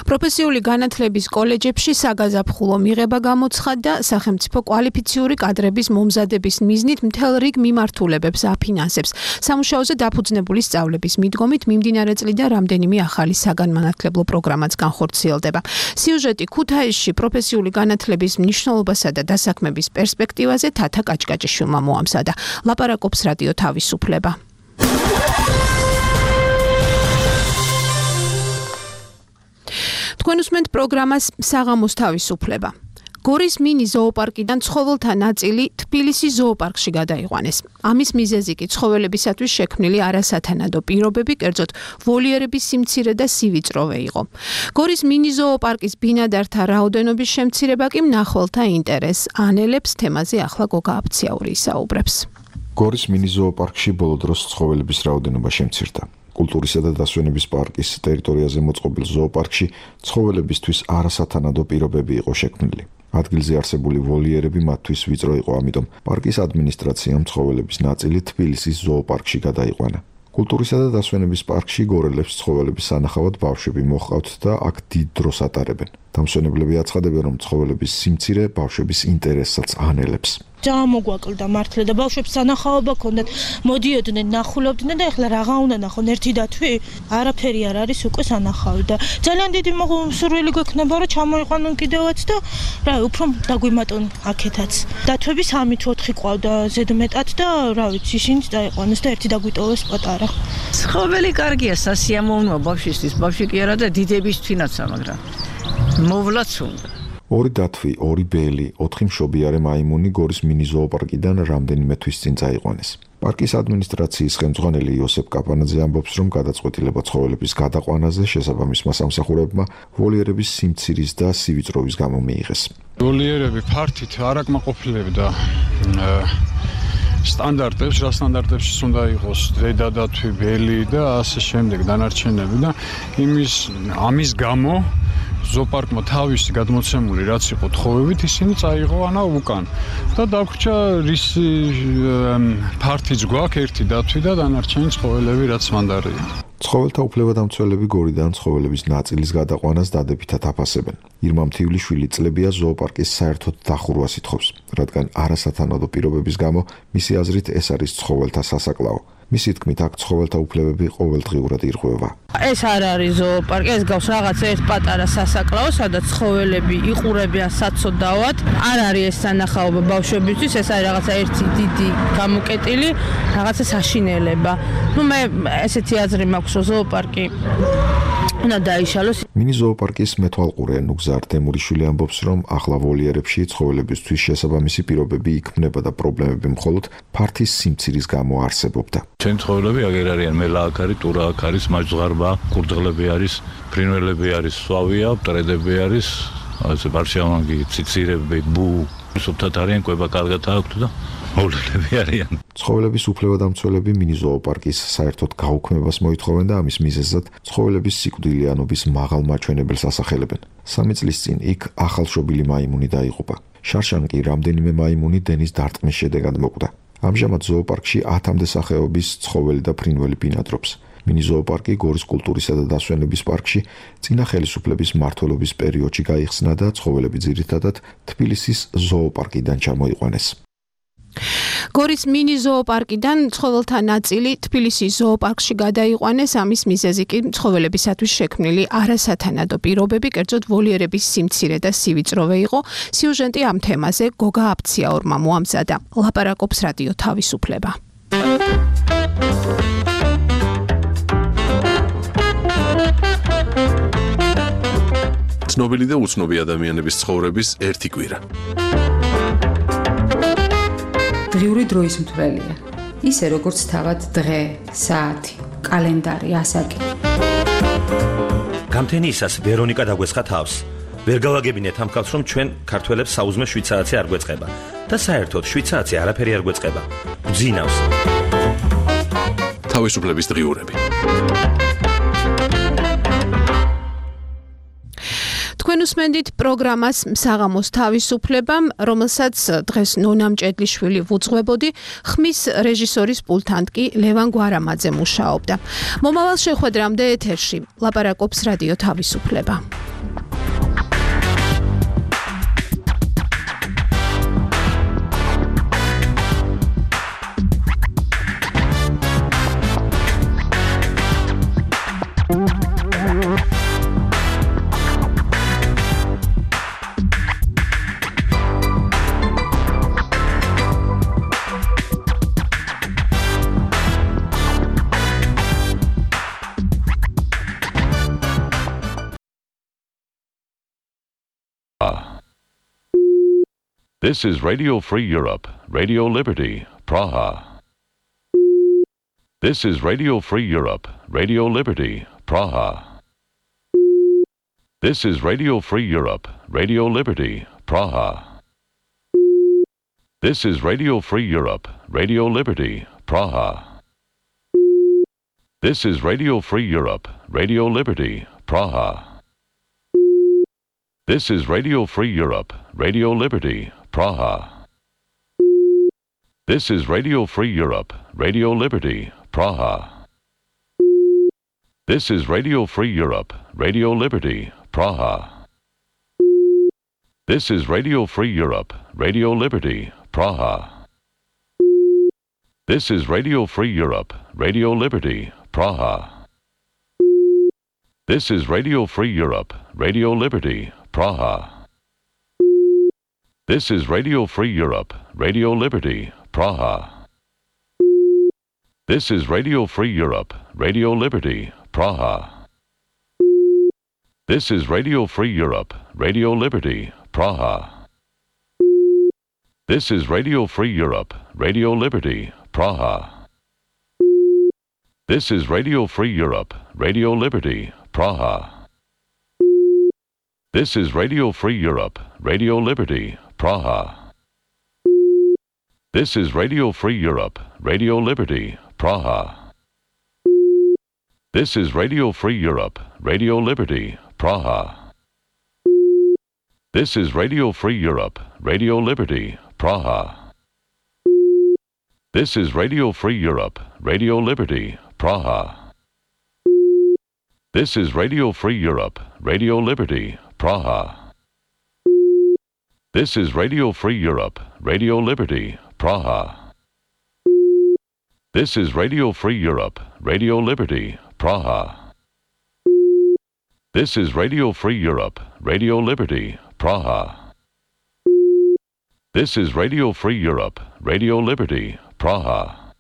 პროფესიული განათლების კოლეჯებში საგაზაფხულო მიღება გამოცხადდა სახელმწიფო კვალიფიციური კადრების მომზადების მიზნით მთელ რიგ მიმართულებებს აფინანსებს. სამუშაოზე დაფუძნებული სწავლების მიდგომით მიმდინარე წლიდან რამდენიმე ახალი საგანმანათლებლო პროგრამაც განხორციელდება. სიუჟეტი ქუთაისში პროფესიული განათლების მნიშვნელობასა და დასაქმების პერსპექტივაზე თათა კაჭკაჭიშვილმა მოამზადა. ლაპარაკობს რადიო თავისუფლება. თქვენ უსმენთ პროგრამას საღამოს თავისუფლება. გორის მინი ზოოპარკიდან ცხოველთა ნაწილი თბილისის ზოოპარკში გადაიყვანეს. ამის მიზეზი კი ცხოველებისათვის შექმნილი არასათანადო პირობები, კერძოდ ვოლიერების სიმცირე და სივიწროვე იყო. გორის მინი ზოოპარკის ბინადართა რაოდენობის შემცირება კი მნახველთა ინტერესს ანელებს. თემაზე ახლა გოგა აფციაური ისაუბრებს. გორის მინი ზოოპარკში ბოლო დროს ცხოველების რაოდენობა შემცირდა. კულტურისა და დასვენების პარკის ტერიტორიაზე მოწყობილ ზოოპარკში ცხოველებისთვის არასათანადო პირობები იყო შექმნილი. ადგილზე არსებული ვოლიერები მათთვის ვიწრო იყო, ამიტომ პარკის ადმინისტრაციამ ცხოველების ნაწილი თბილისის ზოოპარკში გადაიყვანა. კულტურისა და დასვენების პარკში გორელებს ცხოველების სანახავად ბავშვები მოჰყავთ და აქ დიდ დროს ატარებენ. დამსვენებლები აცხადებენ, რომ ცხოველების სიმცირე ბავშვების ინტერესსაც ანელებს. ძალიან მოგვაკლდა მართლა და ბავშვებს სანახაობა ქონდათ, მოდიოდნენ, ნახულობდნენ და ეხლა რაღა უნდა ნახონ ერთი და თვი, არაფერი არ არის უკვე სანახავი და ძალიან დიდი სურვილი გვექნება რომ ჩამოიყვანონ კიდევაც და რა უფრო დაგვიმატონ აქეთაც. დათვები 3-4 ყავდა ზედმეტად და რა ვიცი, ისინიც დაიყვანეს და ერთი დაგვიტოვეს პატარა. ცხოველი კარგია, სასიამოვნოა ბავშვისთვის, ბავშვი კი არა და დიდებისთვინაცა, მაგრამ მოვლაც უნდა. ორი დათვი, ორი ბელი, 4 მშობიარე მაიმუნი გორის მინი ზოოპარკიდან რამდენიმე თვის წინ წაიყვანეს. პარკის ადმინისტრაციის ხელმძღვანელი იოსებ კაპანაძე ამბობს, რომ გადაწყვეტილება ცხოველების გადაყვანაზე შესაბამისმა სამსახურებმა ვოლიერების სიმცირის და სივიწროვის გამო მიიღეს. ვოლიერები ფართით არ აკმაყოფილებდა სტანდარტებს, რა სტანდარტებში უნდა იყოს დედა დათვი, ბელი და ასე შემდეგ დანარჩენები და ამის გამო ზოოპარკმა თავისი გადმოცემული რაც იყო თხოვებით ისინი წაიღო ანა უკან და დაგვრჩა რის ფართიც გვაქვს ერთი დათვი და დანარჩენი ცხოველები რაც მანდარია. ცხოველთა უფლებადამცველები გორიდან ცხოველების ნაწილის გადაყვანას დადებითად აფასებენ. ირმა მთივლიშვილი წლებია ზოოპარკის საერთოდ დახურვას ითხოვს, რადგან არასათანადო პირობების გამო მისი აზრით ეს არის ცხოველთა სასაკლაო. მისი თქმით, აქ ცხოველთა უფლებები ყოველდღიურად ირღვევა. ეს არ არის ზოოპარკი, ეს გავს რაღაც ერთ პატარა სასაკლაო, სადაც ცხოველები იყურებიან საცოდავად. არ არის ეს სანახაობა ბავშვებისთვის, ეს არის რაღაცა ერთი დიდი გამოკეტილი, რაღაცა საშინელება. მე ესეთი აზრი მაქვს, რომ ზოოპარკი უნდა დაიშალოს. მინი ზოოპარკის მეთვალყურე ნუგზარ თემურიშვილი ამბობს, რომ ახლა ვოლიერებში ცხოველებისთვის შესაბამისი პირობები იქმნება და პრობლემები მხოლოდ ფართის სიმცირის გამო არსებობდა. ჩვენი ცხოველები აგერ არიან, მელა აქ არის, ტურა აქ არის, მაჯზღარბა, კურდღლები არის, ფრინველები არის, სვავია, მტრედები არის, ასე ბარშავანგი, ციცირები, ბუ, სუფთად არიან, კვება კარგად აქვთ და მოვლენები არიან. ცხოველების უფლებადამცველები მინი ზოოპარკის საერთოდ გაუქმებას მოითხოვენ და ამის მიზეზად ცხოველების სიკვდილიანობის მაღალ მაჩვენებელს ასახელებენ. 3 წლის წინ იქ ახალშობილი მაიმუნი დაიღუპა. შარშან კი რამდენიმე მაიმუნი დენის დარტყმის შედეგად მოკვდა. ამჟამად ზოოპარკში 10-მდე სახეობის ცხოველი და ფრინველი ბინადრობს. მინი ზოოპარკი გორის კულტურისა და დასვენების პარკში წინა ხელისუფლების მმართველობის პერიოდში გაიხსნა და ცხოველები ძირითადად თბილისის ზოოპარკიდან ჩამოიყვანეს. გორის მინი ზოოპარკიდან ცხოველთა ნაწილი თბილისის ზოოპარკში გადაიყვანეს. ამის მიზეზი კი ცხოველებისათვის შექმნილი არასათანადო პირობები, კერძოდ ვოლიერების სიმცირე და სივიწროვე იყო. სიუჟეტი ამ თემაზე გოგა აფციაურმა მოამზადა. ლაპარაკობს რადიო თავისუფლება. ცნობილი და უცნობი ადამიანების ცხოვრების ერთი კვირა. დღიური დროის მთვრელია. ისე როგორც თავად დღე, საათი, კალენდარი, ასაკი. გამთენიისას ვერონიკა დაგვესხა თავს. ვერ გავაგებინეთ ამ ხალხს, რომ ჩვენ ქართველებს საუზმე შვიცააცი არ გვეწყება და საერთოდ შვიცააცი არაფერი არ გვეწყება. გძინავს. თავისუფლების დღიურები. თქვენ უსმენდით პროგრამას საღამოს თავისუფლებამ, რომელსაც დღეს ნონამ ჭედლიშვილი ვუძღვებოდი, ხმის რეჟისორის პულტად კი ლევან გვარამაძე მუშაობდა. მომავალ შეხვედრამდე ეთერში ლაპარაკობს რადიო თავისუფლება. This is Radio Free Europe, Radio Liberty, Praha. This is Radio Free Europe, Radio Liberty, Praha. This is Radio Free Europe, Radio Liberty, Praha. This is Radio Free Europe, Radio Liberty, Praha. This is Radio Free Europe, Radio Liberty, Praha. This is Radio Free Europe, Radio Liberty, Praha. This is Radio Free Europe, Radio Liberty, Praha. This is Radio Free Europe, Radio Liberty, Praha. This is Radio Free Europe, Radio Liberty, Praha. This is Radio Free Europe, Radio Liberty, Praha. This is Radio Free Europe, Radio Liberty, Praha. This is Radio Free Europe, Radio Liberty, Praha. This is Radio Free Europe, Radio Liberty, Praha. This is Radio Free Europe, Radio Liberty, Praha. This is Radio Free Europe, Radio Liberty, Praha. This is Radio Free Europe, Radio Liberty, Praha. This is Radio Free Europe, Radio Liberty, Praha. This is Radio Free Europe, Radio Liberty, Praha. This is Radio Free Europe, Radio Liberty, Praha. This is Radio Free Europe, Radio Liberty, Praha. This is Radio Free Europe, Radio Liberty, Praha. This is Radio Free Europe, Radio Liberty, Praha. This is Radio Free Europe, Radio Liberty, Praha. This is Radio Free Europe, Radio Liberty, Praha. This is Radio Free Europe, Radio Liberty, Praha. This is Radio Free Europe, Radio Liberty, Praha. This is Radio Free Europe, Radio Liberty, Praha.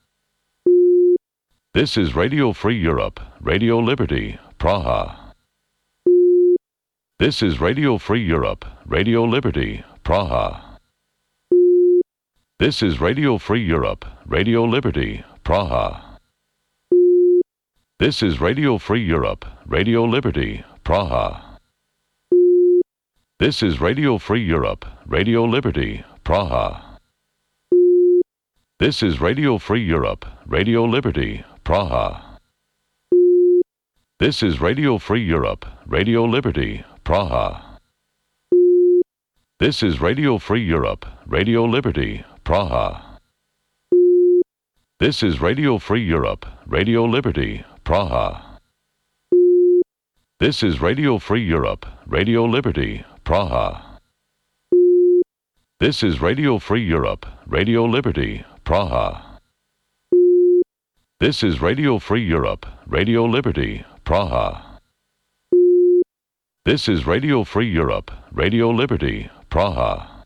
This is Radio Free Europe, Radio Liberty, Praha. This is Radio Free Europe, Radio Liberty, Praha. This is Radio Free Europe, Radio Liberty, Praha. This is Radio Free Europe, Radio Liberty, Praha. This is Radio Free Europe, Radio Liberty, Praha. This is Radio Free Europe, Radio Liberty, Praha. This is Radio Free Europe, Radio Liberty, Praha. This is Radio Free Europe, Radio Liberty, Praha. This is Radio Free Europe, Radio Liberty, Praha. This is Radio Free Europe, Radio Liberty, Praha. This is Radio Free Europe, Radio Liberty, Praha. This is Radio Free Europe, Radio Liberty, Praha.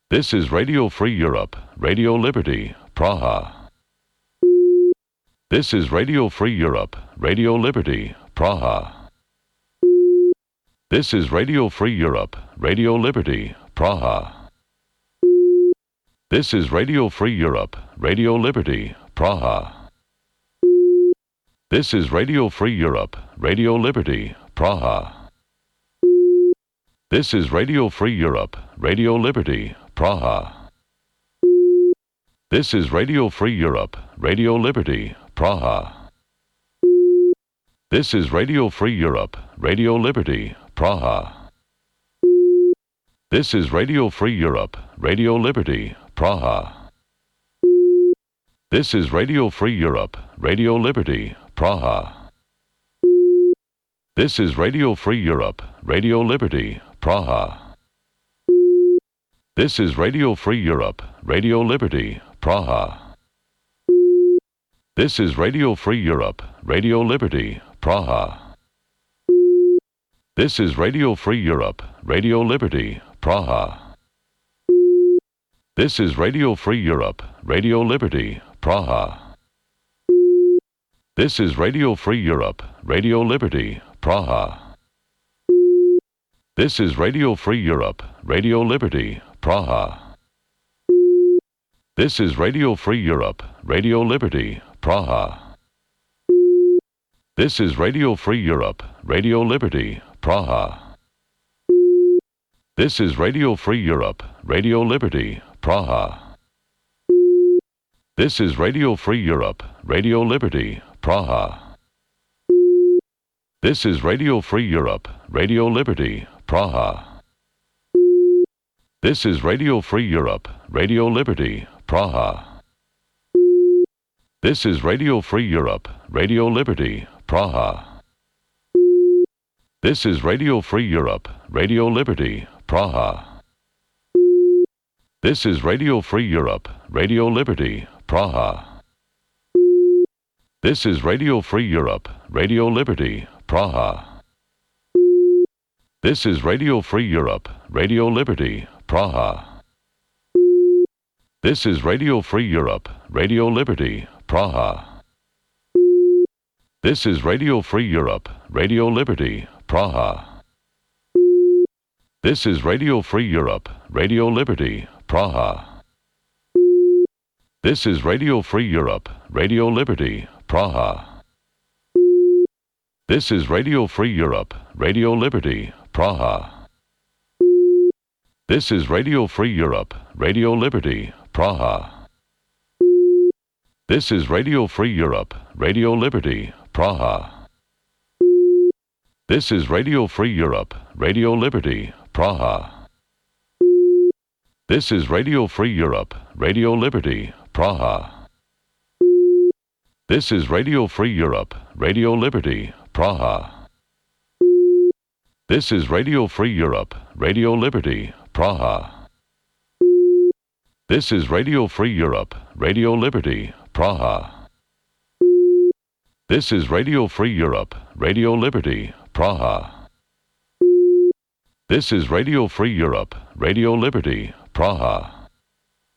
This is Radio Free Europe, Radio Liberty, Praha. This is Radio Free Europe, Radio Liberty, Praha. This is Radio Free Europe, Radio Liberty, Praha. This is Radio Free Europe, Radio Liberty, Praha. This is Radio Free Europe, Radio Liberty, Praha. This is Radio Free Europe, Radio Liberty, Praha. This is Radio Free Europe, Radio Liberty, Praha. This is Radio Free Europe, Radio Liberty, Praha. This is Radio Free Europe, Radio Liberty, Praha. This is Radio Free Europe, Radio Liberty, Praha. This is Radio Free Europe, Radio Liberty, Praha. This is Radio Free Europe, Radio Liberty, Praha. This is Radio Free Europe, Radio Liberty, Praha. This is Radio Free Europe, Radio Liberty, Praha. This is Radio Free Europe, Radio Liberty, Praha. This is Radio Free Europe, Radio Liberty, Praha. This is Radio Free Europe, Radio Liberty, Praha. This is Radio Free Europe, Radio Liberty, Praha. This is Radio Free Europe, Radio Liberty, Praha. This is Radio Free Europe, Radio Liberty, Praha. This is Radio Free Europe, Radio Liberty, Praha. This is Radio Free Europe, Radio Liberty, Praha. This is Radio Free Europe, Radio Liberty, Praha. This is Radio Free Europe, Radio Liberty, Praha. This is Radio Free Europe, Radio Liberty, Praha. This is Radio Free Europe, Radio Liberty, Praha. This is Radio Free Europe, Radio Liberty, Praha. This is Radio Free Europe, Radio Liberty, Praha. This is Radio Free Europe, Radio Liberty, Praha. This is Radio Free Europe, Radio Liberty, Praha. This is Radio Free Europe, Radio Liberty, Praha. This is Radio Free Europe, Radio Liberty, Praha. This is Radio Free Europe, Radio Liberty, Praha. This is Radio Free Europe, Radio Liberty, Praha. This is Radio Free Europe, Radio Liberty, Praha. This is Radio Free Europe, Radio Liberty, Praha. This is Radio Free Europe, Radio Liberty, Praha. This is Radio Free Europe, Radio Liberty, Praha. This is Radio Free Europe, Radio Liberty, Praha. This is Radio Free Europe, Radio Liberty, Praha. This is Radio Free Europe, Radio Liberty, Praha. This is Radio Free Europe, Radio Liberty, Praha.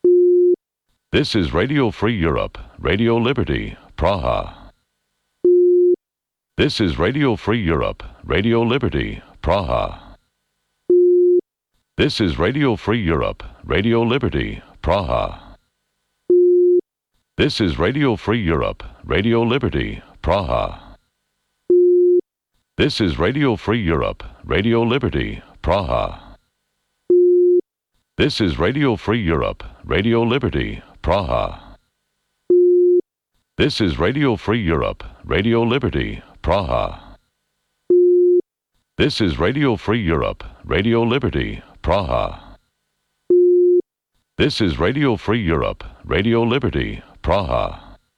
This is Radio Free Europe, Radio Liberty, Praha. This is Radio Free Europe, Radio Liberty, Praha. This is Radio Free Europe, Radio Liberty, Praha. This is Radio Free Europe, Radio Liberty, Praha. This is Radio Free Europe, Radio Liberty, Praha. This is Radio Free Europe, Radio Liberty, Praha. This is Radio Free Europe, Radio Liberty, Praha. This is Radio Free Europe, Radio Liberty, Praha. This is Radio Free Europe, Radio Liberty, Praha.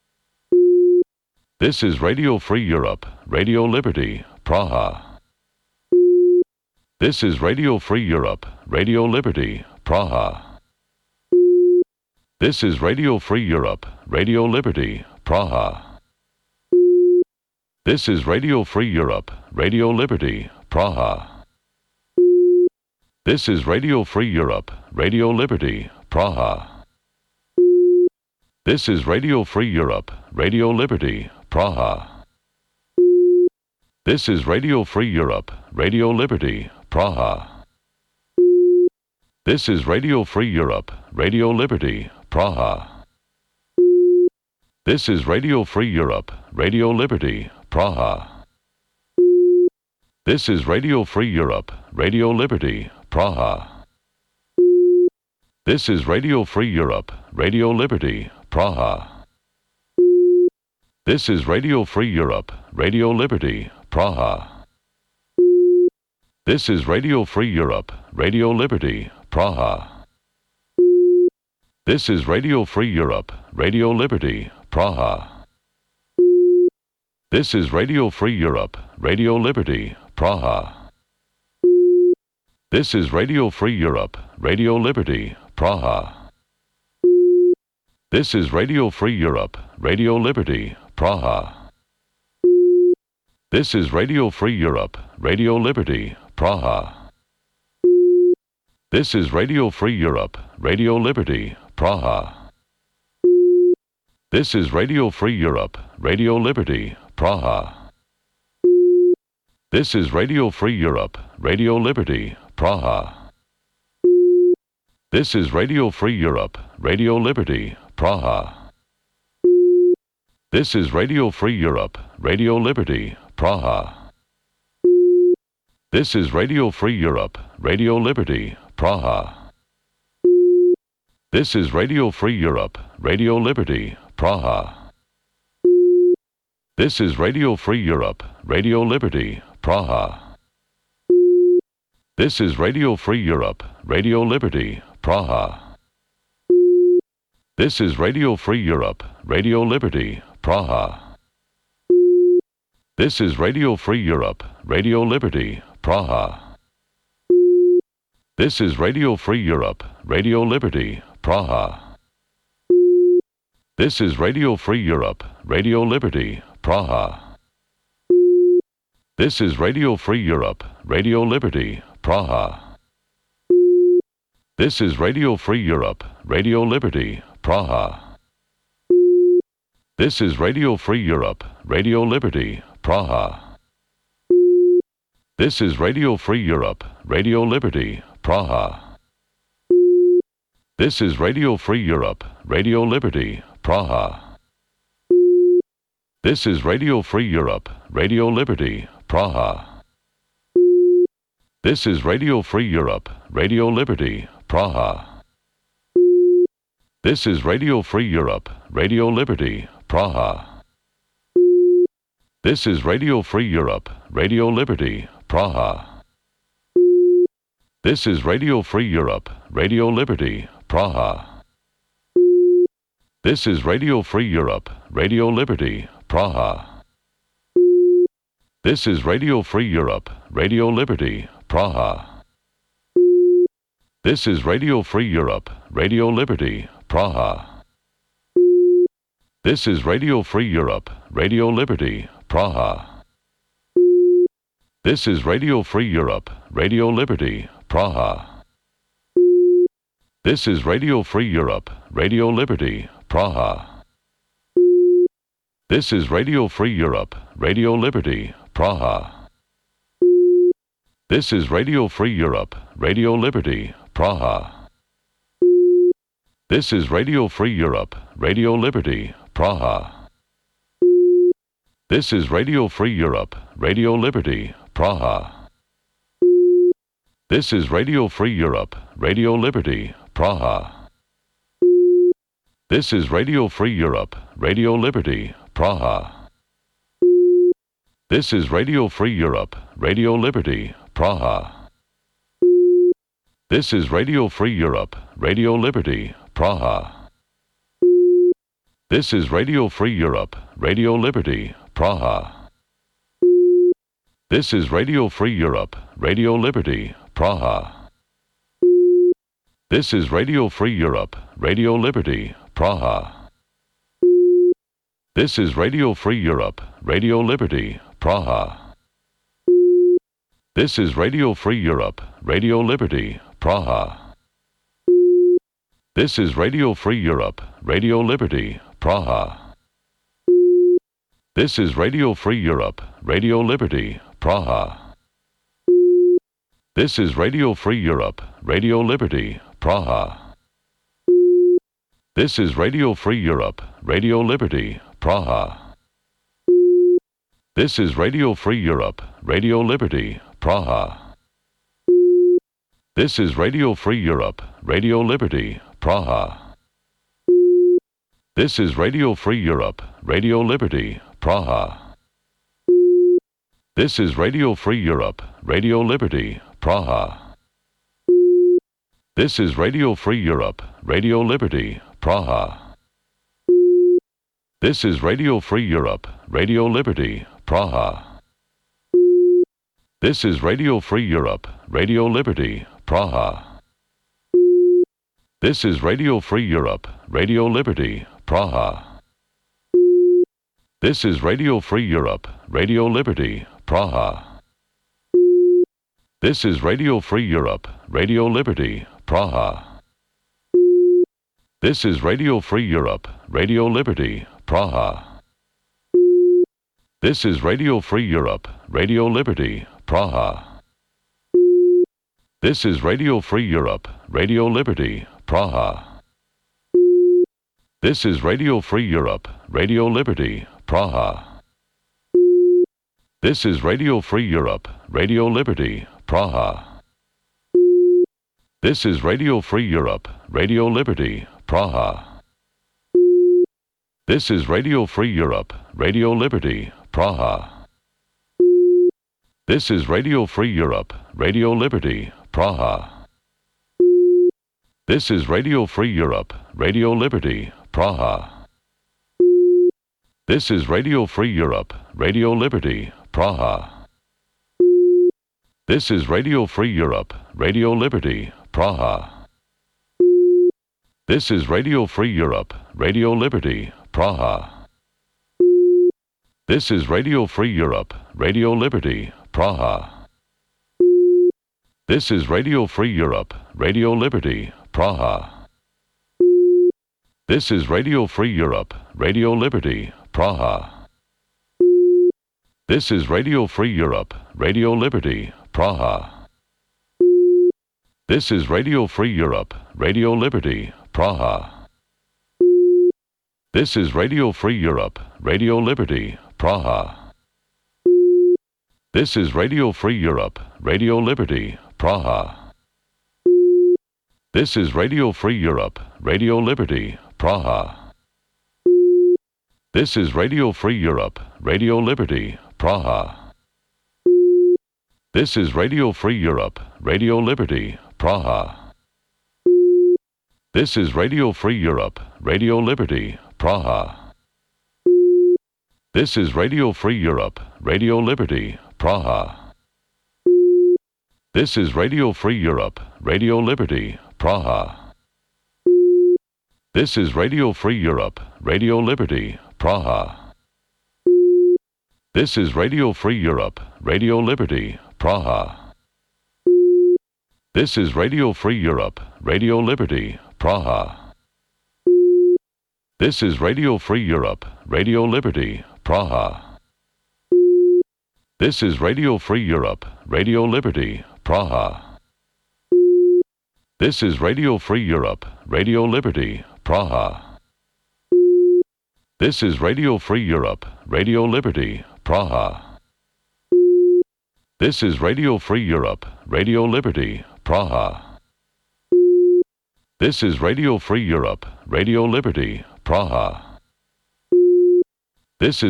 This is Radio Free Europe, Radio Liberty, Praha. This is Radio Free Europe, Radio Liberty, Praha. This is Radio Free Europe, Radio Liberty, Praha. This is Radio Free Europe, Radio Liberty, Praha. This is Radio Free Europe, Radio Liberty, Praha. This is Radio Free Europe, Radio Liberty, Praha. This is Radio Free Europe, Radio Liberty, Praha. This is Radio Free Europe, Radio Liberty, Praha. This is Radio Free Europe, Radio Liberty, Praha. This is Radio Free Europe, Radio Liberty, Praha. This is Radio Free Europe, Radio Liberty, Praha. This is Radio Free Europe, Radio Liberty, Praha. This is Radio Free Europe, Radio Liberty, Praha. This is Radio Free Europe, Radio Liberty, Praha. This is Radio Free Europe, Radio Liberty, Praha. This is Radio Free Europe, Radio Liberty, Praha. This is Radio Free Europe, Radio Liberty, Praha. This is Radio Free Europe, Radio Liberty, Praha. This is Radio Free Europe, Radio Liberty, Praha. This is Radio Free Europe, Radio Liberty, Praha. This is Radio Free Europe, Radio Liberty, Praha. This is Radio Free Europe, Radio Liberty, Praha. This is Radio Free Europe, Radio Liberty, Praha. This is Radio Free Europe, Radio Liberty, Praha. This is Radio Free Europe, Radio Liberty, Praha. This is Radio Free Europe, Radio Liberty, Praha. This is Radio Free Europe, Radio Liberty, Praha. This is Radio Free Europe, Radio Liberty, Praha. This is Radio Free Europe, Radio Liberty, Praha. This is Radio Free Europe, Radio Liberty, Praha. This is Radio Free Europe, Radio Liberty, Praha. This is Radio Free Europe, Radio Liberty, Praha. This is Radio Free Europe, Radio Liberty, Praha. This is Radio Free Europe, Radio Liberty, Praha. This is Radio Free Europe, Radio Liberty, Praha. This is Radio Free Europe, Radio Liberty, Praha. This is Radio Free Europe, Radio Liberty, Praha. This is Radio Free Europe, Radio Liberty, Praha. This is Radio Free Europe, Radio Liberty, Praha. This is Radio Free Europe, Radio Liberty, Praha. This is Radio Free Europe, Radio Liberty, Praha. This is Radio Free Europe, Radio Liberty, Praha. This is Radio Free Europe, Radio Liberty, Praha. This is Radio Free Europe, Radio Liberty, Praha. This is Radio Free Europe, Radio Liberty, Praha. This is Radio Free Europe, Radio Liberty, Praha. This is Radio Free Europe, Radio Liberty, Praha. This is Radio Free Europe, Radio Liberty, Praha. This is Radio Free Europe, Radio Liberty, Praha. This is Radio Free Europe, Radio Liberty, Praha. This is Radio Free Europe, Radio Liberty, Praha. This is Radio Free Europe, Radio Liberty, Praha. This is Radio Free Europe, Radio Liberty, Praha. This is Radio Free Europe, Radio Liberty, Praha. This is Radio Free Europe, Radio Liberty, Praha. This is Radio Free Europe, Radio Liberty, Praha. This is Radio Free Europe, Radio Liberty, Praha. This is Radio Free Europe, Radio Liberty, Praha. This is Radio Free Europe, Radio Liberty, Praha. This is Radio Free Europe, Radio Liberty, Praha. This is Radio Free Europe, Radio Liberty, Praha. This is Radio Free Europe, Radio Liberty, Praha. This is Radio Free Europe, Radio Liberty, Praha. This is Radio Free Europe, Radio Liberty, Praha. This is Radio Free Europe, Radio Liberty, Praha. This is Radio Free Europe, Radio Liberty, Praha. This is Radio Free Europe, Radio Liberty, Praha. This is Radio Free Europe, Radio Liberty, Praha. This is Radio Free Europe, Radio Liberty, Praha. This is Radio Free Europe, Radio Liberty, Praha. This is Radio Free Europe, Radio Liberty, Praha. This is Radio Free Europe, Radio Liberty, Praha. This is Radio Free Europe, Radio Liberty, Praha. This is Radio Free Europe, Radio Liberty, Praha. This is Radio Free Europe, Radio Liberty, Praha. This is Radio Free Europe, Radio Liberty, Praha. This is Radio Free Europe, Radio Liberty, Praha. This is Radio Free Europe, Radio Liberty, Praha. This is Radio Free Europe, Radio Liberty, Praha. This is Radio Free Europe, Radio Liberty, Praha. This is Radio Free Europe, Radio Liberty, Praha. This is Radio Free Europe, Radio Liberty, Praha. This is Radio Free Europe, Radio Liberty, Praha. This is Radio Free Europe, Radio Liberty, Praha. This is Radio Free Europe, Radio Liberty, Praha. This is Radio Free Europe, Radio Liberty, Praha. This is Radio Free Europe, Radio Liberty, Praha. This is Radio Free Europe, Radio Liberty, Praha. This is Radio Free Europe, Radio Liberty, Praha. This is Radio Free Europe, Radio Liberty, Praha. This is Radio Free Europe, Radio Liberty, Praha. This is Radio Free Europe, Radio Liberty, Praha. This is Radio Free Europe, Radio Liberty, Praha. This is Radio Free Europe, Radio Liberty, Praha. This is Radio Free Europe, Radio Liberty, Praha. This is Radio Free Europe, Radio Liberty, Praha. This is Radio Free Europe, Radio Liberty, Praha. This is Radio Free Europe, Radio Liberty, Praha. This is Radio Free Europe, Radio Liberty, Praha. This is Radio Free Europe, Radio Liberty, Praha. This is Radio Free Europe, Radio Liberty, Praha. This is Radio Free Europe, Radio Liberty, Praha. This is Radio Free Europe, Radio Liberty, Praha. This is Radio Free Europe, Radio Liberty, Praha. This is Radio Free Europe, Radio Liberty, Praha. This is Radio Free Europe, Radio Liberty, Praha. This is Radio Free Europe, Radio Liberty, Praha. This is Radio Free Europe, Radio Liberty, Praha. This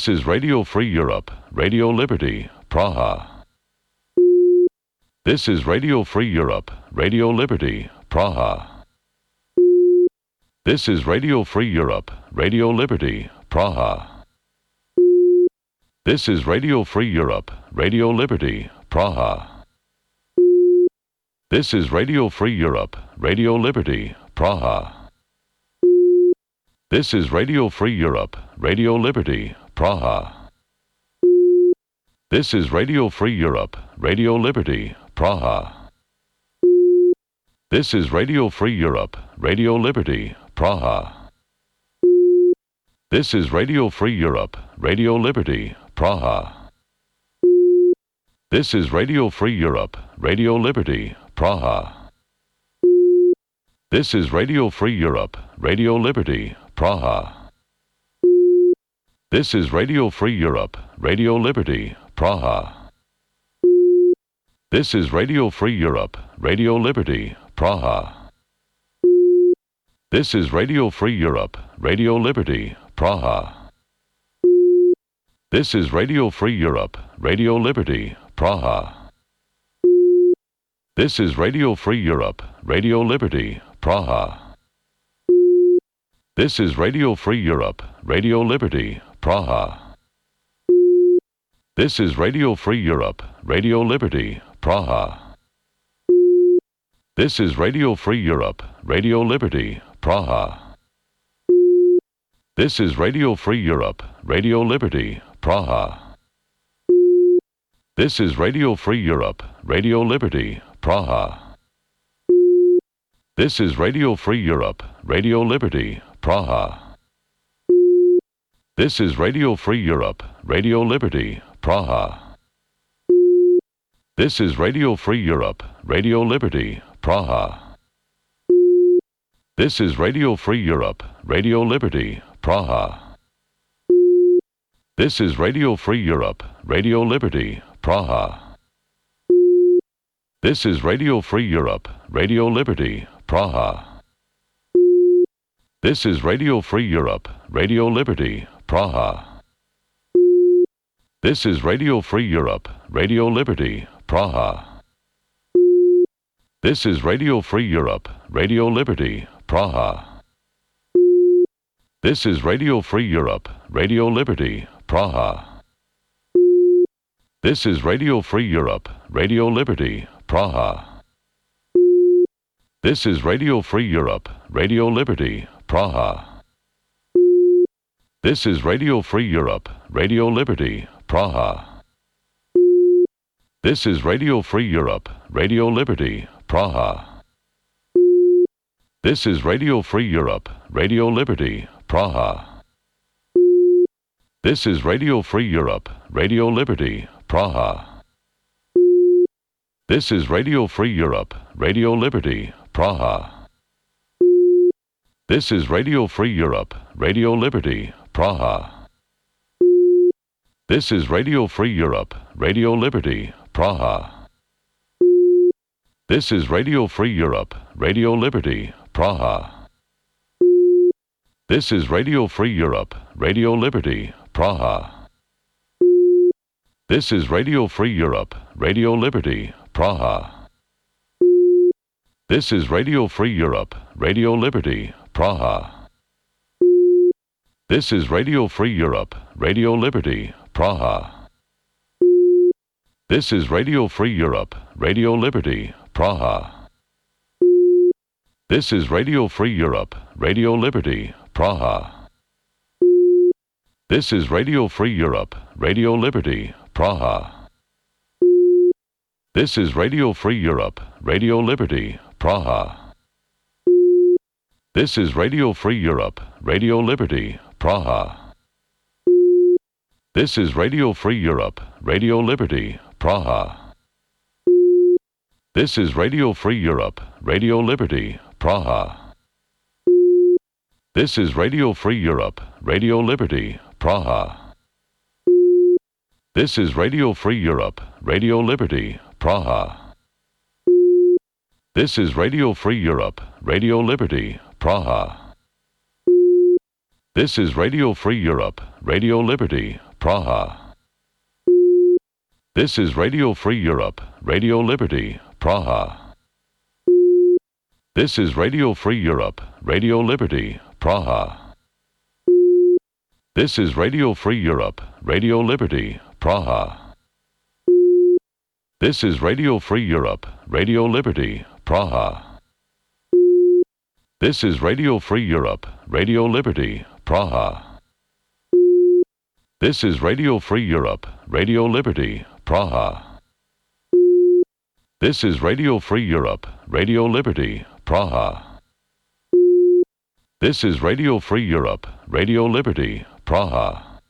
is Radio Free Europe, Radio Liberty, Praha. This is Radio Free Europe, Radio Liberty, Praha. This is Radio Free Europe, Radio Liberty, Praha. This is Radio Free Europe, Radio Liberty, Praha. This is Radio Free Europe, Radio Liberty, Praha. This is Radio Free Europe, Radio Liberty, Praha. This is Radio Free Europe, Radio Liberty, Praha. This is Radio Free Europe, Radio Liberty, Praha. This is Radio Free Europe, Radio Liberty, Praha. This is Radio Free Europe, Radio Liberty, Praha. This is Radio Free Europe, Radio Liberty, Praha. This is Radio Free Europe, Radio Liberty, Praha. This is Radio Free Europe, Radio Liberty, Praha. This is Radio Free Europe, Radio Liberty, Praha. This is Radio Free Europe, Radio Liberty, Praha. This is Radio Free Europe, Radio Liberty, Praha. This is Radio Free Europe, Radio Liberty, Praha. This is Radio Free Europe, Radio Liberty, Praha. This is Radio Free Europe, Radio Liberty, Praha. This is Radio Free Europe, Radio Liberty, Praha. This is Radio Free Europe, Radio Liberty, Praha. This is Radio Free Europe, Radio Liberty, Praha. This is Radio Free Europe, Radio Liberty, Praha. This is Radio Free Europe, Radio Liberty, Praha. This is Radio Free Europe, Radio Liberty, Praha. This is Radio Free Europe, Radio Liberty, Praha. This is Radio Free Europe, Radio Liberty, Praha. This is Radio Free Europe, Radio Liberty, Praha. This is Radio Free Europe, Radio Liberty, Praha. This is Radio Free Europe, Radio Liberty, Praha. This is Radio Free Europe, Radio Liberty, Praha. This is Radio Free Europe, Radio Liberty, Praha. This is Radio Free Europe, Radio Liberty, Praha. This is Radio Free Europe, Radio Liberty, Praha. This is Radio Free Europe, Radio Liberty, Praha. This is Radio Free Europe, Radio Liberty, Praha. This is Radio Free Europe, Radio Liberty, Praha. This is Radio Free Europe, Radio Liberty, Praha. This is Radio Free Europe, Radio Liberty, Praha. This is Radio Free Europe, Radio Liberty, Praha. This is Radio Free Europe, Radio Liberty, Praha. This is Radio Free Europe, Radio Liberty, Praha. This is Radio Free Europe, Radio Liberty, Praha. This is Radio Free Europe, Radio Liberty, Praha. This is Radio Free Europe, Radio Liberty, Praha. This is Radio Free Europe, Radio Liberty, Praha. This is Radio Free Europe, Radio Liberty, Praha. This is Radio Free Europe, Radio Liberty, Praha. This is Radio Free Europe, Radio Liberty, Praha. This is Radio Free Europe, Radio Liberty, Praha. This is Radio Free Europe, Radio Liberty, Praha. This is Radio Free Europe, Radio Liberty, Praha. This is Radio Free Europe, Radio Liberty, Praha. This is Radio Free Europe, Radio Liberty, Praha. This is Radio Free Europe, Radio Liberty, Praha. This is Radio Free Europe, Radio Liberty, Praha. This is Radio Free Europe, Radio Liberty, Praha. This is Radio Free Europe, Radio Liberty, Praha. This is Radio Free Europe, Radio Liberty, Praha. This is Radio Free Europe, Radio Liberty, Praha. This is Radio Free Europe, Radio Liberty, Praha. This is Radio Free Europe, Radio Liberty, Praha. This is Radio Free Europe, Radio Liberty, Praha. This is Radio Free Europe, Radio Liberty, Praha. This is Radio Free Europe, Radio Liberty, Praha.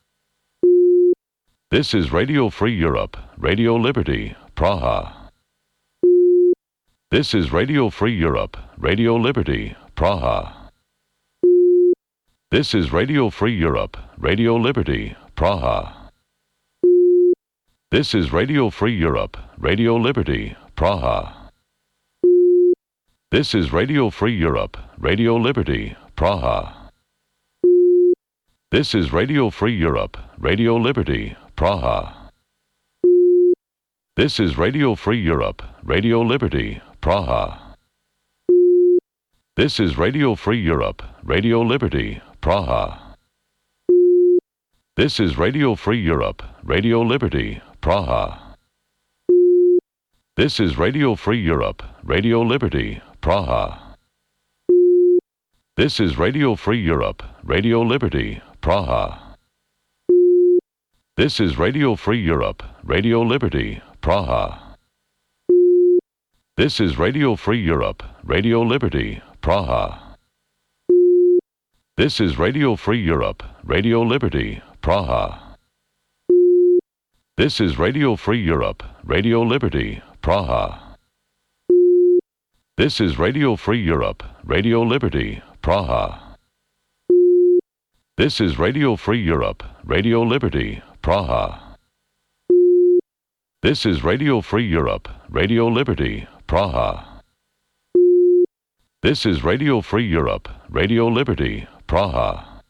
This is Radio Free Europe, Radio Liberty, Praha. This is Radio Free Europe, Radio Liberty, Praha. This is Radio Free Europe, Radio Liberty, Praha. This is Radio Free Europe, Radio Liberty, Praha. This is Radio Free Europe, Radio Liberty, Praha. This is Radio Free Europe, Radio Liberty, Praha. This is Radio Free Europe, Radio Liberty, Praha. This is Radio Free Europe, Radio Liberty, Praha. This is Radio Free Europe, Radio Liberty, Praha. This is Radio Free Europe, Radio Liberty, Praha. This is Radio Free Europe, Radio Liberty, Praha. This is Radio Free Europe, Radio Liberty, Praha. This is Radio Free Europe, Radio Liberty, Praha. This is Radio Free Europe, Radio Liberty, Praha. This is Radio Free Europe, Radio Liberty, Praha. This is Radio Free Europe, Radio Liberty, Praha. This is Radio Free Europe, Radio Liberty, Praha. This is Radio Free Europe, Radio Liberty, Praha. This is Radio Free Europe, Radio Liberty, Praha.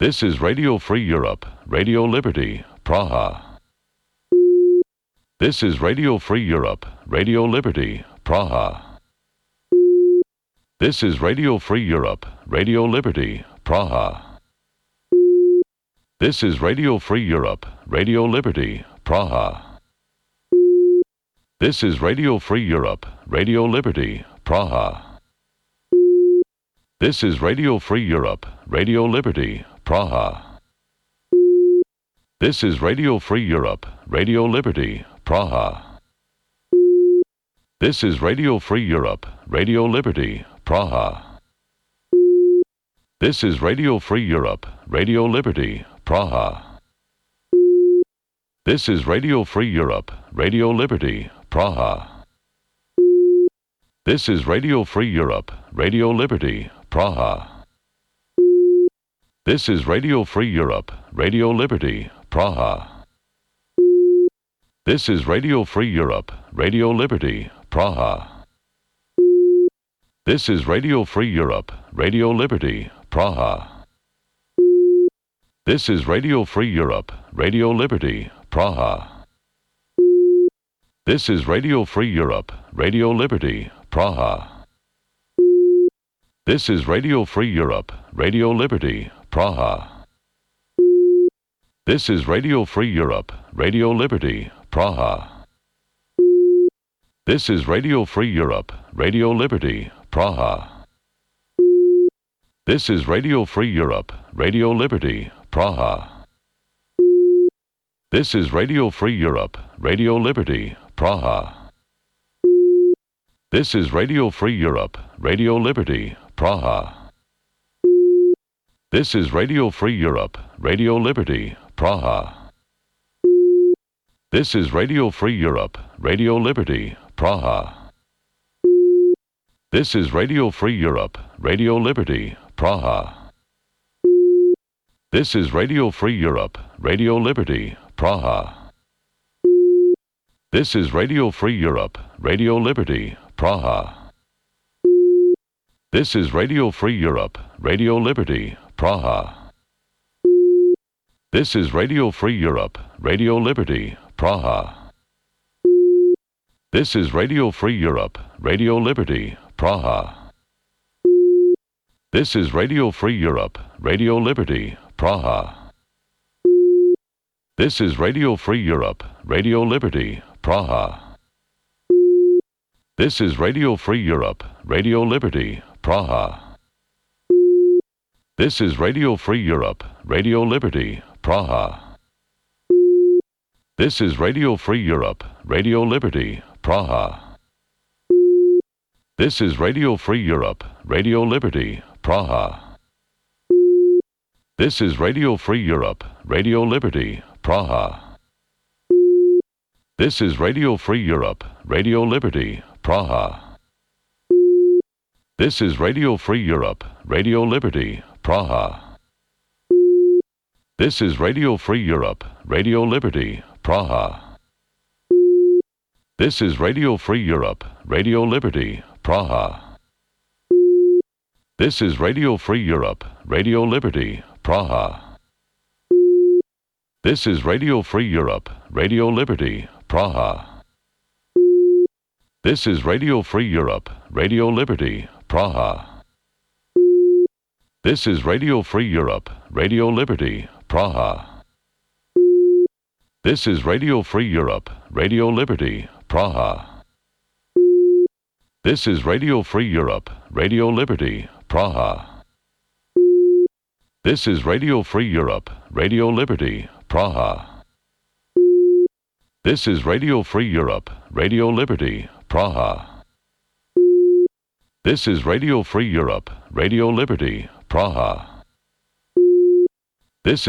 This is Radio Free Europe, Radio Liberty, Praha. This is Radio Free Europe, Radio Liberty, Praha. This is Radio Free Europe, Radio Liberty, Praha. This is Radio Free Europe, Radio Liberty, Praha. This is Radio Free Europe, Radio Liberty, Praha. This is Radio Free Europe, Radio Liberty, Praha. This is Radio Free Europe, Radio Liberty, Praha. This is Radio Free Europe, Radio Liberty, Praha. This is Radio Free Europe, Radio Liberty, Praha. This is Radio Free Europe, Radio Liberty, Praha. This is Radio Free Europe, Radio Liberty, Praha. This is Radio Free Europe, Radio Liberty, Praha. This is Radio Free Europe, Radio Liberty, Praha. This is Radio Free Europe, Radio Liberty, Praha. This is Radio Free Europe, Radio Liberty, Praha. This is Radio Free Europe, Radio Liberty, Praha. This is Radio Free Europe, Radio Liberty, Praha. This is Radio Free Europe, Radio Liberty, Praha. This is Radio Free Europe, Radio Liberty, Praha. This is Radio Free Europe, Radio Liberty, Praha. This is Radio Free Europe, Radio Liberty, Praha. This is Radio Free Europe, Radio Liberty, Praha. This is Radio Free Europe, Radio Liberty, Praha. This is Radio Free Europe, Radio Liberty, Praha. This is Radio Free Europe, Radio Liberty, Praha. This is Radio Free Europe, Radio Liberty, Praha. This is Radio Free Europe, Radio Liberty, Praha. This is Radio Free Europe, Radio Liberty, Praha. This is Radio Free Europe, Radio Liberty, Praha. This is Radio Free Europe, Radio Liberty, Praha. This is Radio Free Europe, Radio Liberty, Praha. This is Radio Free Europe, Radio Liberty, Praha. This is Radio Free Europe, Radio Liberty, Praha. This is Radio Free Europe, Radio Liberty, Praha. This is Radio Free Europe, Radio Liberty, Praha. This is Radio Free Europe, Radio Liberty, Praha. This is Radio Free Europe, Radio Liberty, Praha. This is Radio Free Europe, Radio Liberty, Praha. This is Radio Free Europe, Radio Liberty, Praha. This is Radio Free Europe, Radio Liberty, Praha. This is Radio Free Europe, Radio Liberty, Praha. This is Radio Free Europe, Radio Liberty, Praha. This is Radio Free Europe, Radio Liberty, Praha. This is Radio Free Europe, Radio Liberty, Praha. This is Radio Free Europe, Radio Liberty, Praha. This is Radio Free Europe, Radio Liberty, Praha. This is Radio Free Europe, Radio Liberty, Praha. This is Radio Free Europe, Radio Liberty, Praha. This is Radio Free Europe, Radio Liberty, Praha. This is Radio Free Europe, Radio Liberty, Praha.